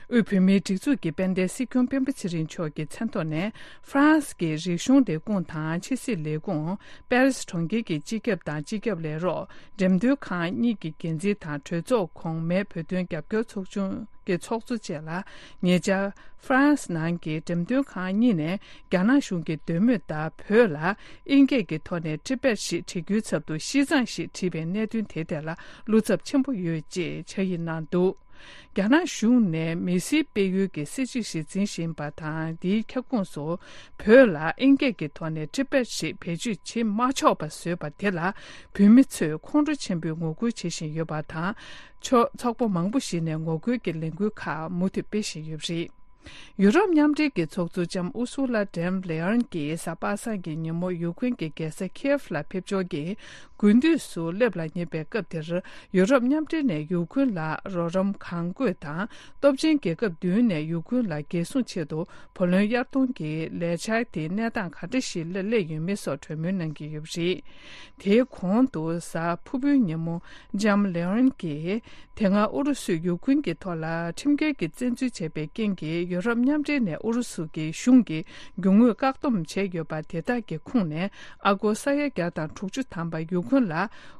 དབུས་བོད་མིའི་སྒྲིག་འཛུགས་ཀྱི་དཔལ་ལྡན་སྲིད་སྐྱོང་སྤེན་པ་ཚེ་རིང་མཆོག་གི་མཚན་ཐོག་ནས། ཧྥ་རན་སི་གི་རིག་གཞུང་ལས་ཁུངས་དང་ཕྱི་སྲིད་ལས་ཁུངས། པེ་རི་སི་གྲོང་ཁྱེར་གྱི་སྤྱི་ཁྱབ་དང་སྤྱི་ཁྱབ་ལས་རོགས། འགྲེམས་སྟོན་ཁང་གཉིས་ཀྱི་འགན་འཛིན་དང་། གྲོས་ཚོགས་གོང་མའི་བོད་དོན་རྒྱབ་སྐྱོར་ཚོགས་ཆུང་གི་ཚོགས་གཙོ་བཅས་ལ། ཉེ་ཆར་ཧྥ་རན་སི་ནང་གི་འགྲེམས་སྟོན་ཁང་གཉིས་ནས། རྒྱ་ནག་གཞུང་གི་འདོད་མོས་ལྟར། བོད་ལ་ཨིན་སྐད་ཀྱི་ཐོག་ནས་ཊི་བེཊ་ཞེས་བྲི་རྒྱུའི་ཚབ་ཏུ་ཤིས་ཙང་ཞེས་བྲིས་པའི་གནད་དོན་དེའི་ཐད་ལ། བློ་འཚབ་ཆེན་པོ་ཡོད་ཅེས་ཕྱག་ཡིག་གནང་འདུག་རྒྱ་ནག་གཞུང་ནས་མི་སེར་སྤེལ་ཡུལ་གྱི་སྲིད་བྱུས་ཤིག་འཛིན་བཞིན་པ་དང་། དེའི་ཁྱབ་ཁོངས་སུ་བོད་ལ་ཨིན་སྐད་ཀྱི་ཐོག་ནས་ཊི་བེཊ་ཞེས་བེད་སྤྱོད་བྱེད་མ་ཆོག་པ་བཟོས་པ་དེ་ལ། བོད་མི་ཚོས་ཁོང་ཁྲོ་ཆེན་པོས་ངོ་རྒོལ་བྱེད་བཞིན་ཡོད་པ་དང་། ཕྱོགས་ཚོགས་པ་མང་པོ་ཞིག་ནས་ངོ་རྒོལ་གྱི་ལས་འགུལ་ཁག་མུ་མཐུད་སྤེལ་བཞིན་ཡོད་པ་རེད། ཡུ་རོབ་མཉམ་འབྲེལ་གྱི་ཚོགས་གཙོ་ལྕམ་ཨུ་སུ་ལ་ཌེམ་ལེ་ཨན་གྱིས་གཟའ་པ་སངས་ཀྱི་ཉིན་མོ་ཡུ་ཁུན་གྱི་རྒྱལ་ས་ཁིའེབ་ལ་ཕེབས་འབྱོར་གྱིས། དགུན་དུས་སུ་སླེབས་ལ་ཉེ་བའི་སྐབས་དེར། ཡུ་རོབ་མཉམ་འབྲེལ་ནས་ཡུ་ཁུན་ལ་རོགས་རམ་གང་དགོས་དང་། སྟོབས་ཆེན་རྒྱལ་ཁབ་བདུན་ནས་ཡུ་ཁུན་ལ་རྒྱལ་སྲུང་ཆེད་དུ་བུ་ལོན་གཡར་གཏོང་གི་ལས་འཆར་དེ་གནས་སྟངས་ག་འདྲ་ཞིག་ལ་སླེབས་ཡོད་མེད་སོགས་གྲོས་མོལ་གནང་གི་ཡོད་པ་རེད། དེའི་གོང་དུ་གཟའ་ཕུར་བུའི་ཉིན་མོ་ལྕམ་ལེ་ཨོན་གྱིས། དེ་སྔ་ཨུ་རུ་སུས་ཡུ་ཁུན་གྱི་ཐོག་ལ་ཁྲིམས་འགལ་གྱི་བཙན་འཛུལ་བྱས་པའི་རྐྱེན་གྱིས། ཡུ་རོབ་མཉམ་འབྲེལ་ནས་ཨུ་རུ་སུ་གྱི་གཞུང་གིས་རྒྱུ་དངོས་བཀག་སྡོམ་བྱས་ཡོད་པ་དེ་དག་གི་ཁོངས་ནས། ཨ་སྒོར་ས་ཡ་བརྒྱ་དང་དྲུག་ཅུ་ཐམ་པ་ཡུ་ཁུན་ལ་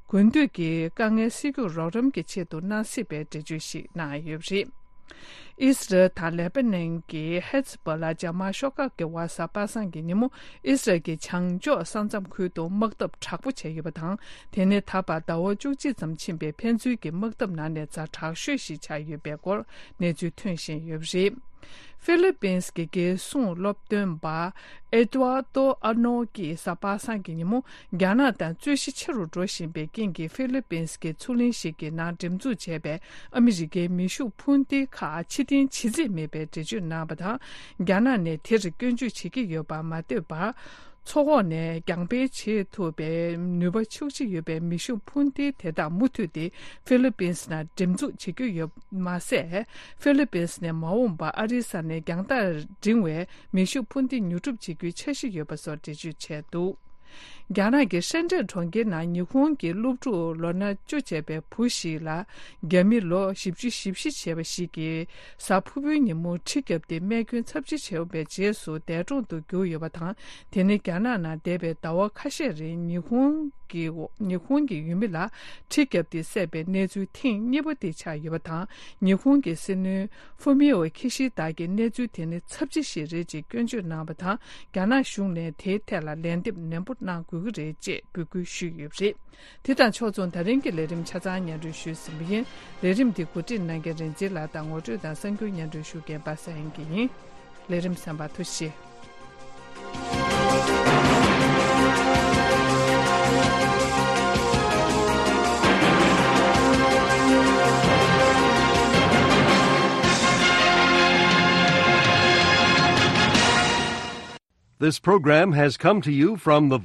དགུན་དུས་ཀྱི་དཀའ་ངལ་སེལ་རྒྱུར་རོགས་རམ་གྱི་ཆེད་དུ་གནང་སྲིད་པའི་འགྲེལ་བརྗོད་ཞིག་གནང་ཡོད་པ་རེད། ཨི་སི་རལ་དང་ལེ་པ་ནན་གྱི་ཧེ་ཛི་བྷོ་ལ་འཇབ་དམག་ཤོག་ཁག་གི་བར་གཟའ་པ་སངས་ཀྱི་ཉིན་མོ། ཨི་སི་རལ་གྱི་བྱང་ཕྱོགས་ས་མཚམས་ཁུལ་དུ་དམག་འཐབ་དྲག་པོ་བྱས་ཡོད་པ་དང་། དེ་ནི་ད་བར་ཟླ་བ་བཅུ་གཅིག་ཙམ་ཕྱིན་པའི་ཕན་ཚུན་གྱི་དམག་འཐབ་ནང་ནས་ཛ་དྲག་ཤོས་ཤིག་ཆགས་ཡོད་པའི་སྐོར་གནས་ཚུལ་ཐོན་བཞིན་ཡོད་པ་རེད། ཧྥི་ལི་པིན་གྱི་རྒྱལ་སྲུང་སློབ་སྟོན་པ་ཨེ་ཏུ་ཨར་ཏོ་ཨར་ནོ་གིས་གཟའ་པ་སངས་ཀྱི་ཉིན་མོ། རྒྱ་ནག་དང་རྩོད་གཞི་ཆེ་རུ་འགྲོ་བཞིན་པའི་རྐྱེན་གྱིས། ཧྥི་ལི་པིན་གྱི་མཚོ་གླིང་ཞིག་གི་ནང་འགྲེམས་འཛུགས་བྱས་པའི་ཨ་མི་རི་ཀའི་མེ་ཤུགས་འཕུར་མདེལ་ཁག་ཕྱིར་འཐེན་བྱེད་རྩིས་མེད་པའི་འགྲེལ་བརྗོད་གནང་བ་དང་། རྒྱ་ནག་ནས་དེར་སྐྱོན་བརྗོད་བྱེད་ཀྱི་ཡོད་པ་མ་ལྟོས་པར། མཚོ་འོག་ནས་རྒྱང་འཕེན་བྱེད་ཐུབ་པའི་ནུས་པ་ཤུགས་ཆེ་ཡོད་པའི་མེ་ཤུགས་འཕུར་མདེལ་དེ་དག་མུ་མཐུད་དེ་ཧྥི་ལི་པིན་ནང་འགྲེམས་འཛུགས་བྱེད་ཀྱི་ཡོད་མ་ཟད། ཧྥི་ལི་པིན་ནས་མ་འོངས་པར་ཨ་རིའི་ས་ནས་རྒྱང་ཐག་འབྲིང་བའི་མེ་ཤུགས་འཕུར་མདེལ་ཉོ་སྒྲུབ་བྱེད་རྒྱུའི་འཆར་གཞི་ཡོད་པ་སོགས་འགྲེལ་བརྗོད་བྱས་འདུག་རྒྱ་ནག་གི་ཧྲེན་ཀྲེན་གྲོང་ཁྱེར་ནང་ཉི་ཧོང་གི་སློབ་ཕྲུག་ལོ་ན་བཅུ་བྱས་པའི་བུ་ཞིག་ལ། རྒྱ་མི་ལོ་བཞི་བཅུ་ཞེ་བཞི་བྱས་པ་ཞིག་གིས་གཟའ་ཕུར་བུའི་ཉིན་མོ་གྲི་བརྒྱབ་སྟེ་རྨས་སྐྱོན་ཚབས་ཆེ་བྱུང་བའི་རྗེས་སུ་འདས་གྲོངས་དུ་གྱུར་ཡོད་པ་དང་། དེ་ནི་རྒྱ་ནག་ནང་འདས་པའི་ཟླ་བ་ཁ་ཤས་རིང་ཉི་ཧོང་གི་ཉི་ཧོང་གི་ཡུལ་མི་ལ་གྲི་བརྒྱབ་སྟེ་བསད་པའི་གནས་ཚུལ་ཐེངས་གཉིས་པ་དེ་ཆགས་ཡོད་པ་དང་། ཉི་ཧོང་གི་སྲིད་བློན་ཧྥུ་མི་ཨོ་ཁི་ཤི་ད་གིས་གནས་ཚུལ་དེ་ནི་ཚབས་ཆེ་ཞིག་རེད་ཅེས་སྐྱོན་བརྗོད་གནང་བ་དང་། རྒྱ་ནག་གཞུང་ནས་དེའི་ཐད་ལ་ལན་འདེབས་ནན་པོ་གནང་དགོས། གི་རེད་ཅེས་འབོད་སྐུལ་ཞུས་ཡོད་པ་རེད། དེ་དང་ཕྱོགས་མཚུངས་ད་རིང་གི་ལས་རིམ་ཆ་ཚང་སྙན་སྒྲོན་ཞུས་ཟིན་པ་ཡིན། ལས་རིམ་འདི་གོ་སྒྲིག་གནང་མཁན་རིག་འཛིན་ལགས་དང་ངོ་སྤྲོད་དང་གསར་འགྱུར་སྙན་སྒྲོན་ཞུ་མཁན་པ་སངས་དབྱངས་སྐྱིད་ཡིན། ལས་རིམ་གསན་པར་ཐུགས་རྗེ་ཆེ། This program has come to you from the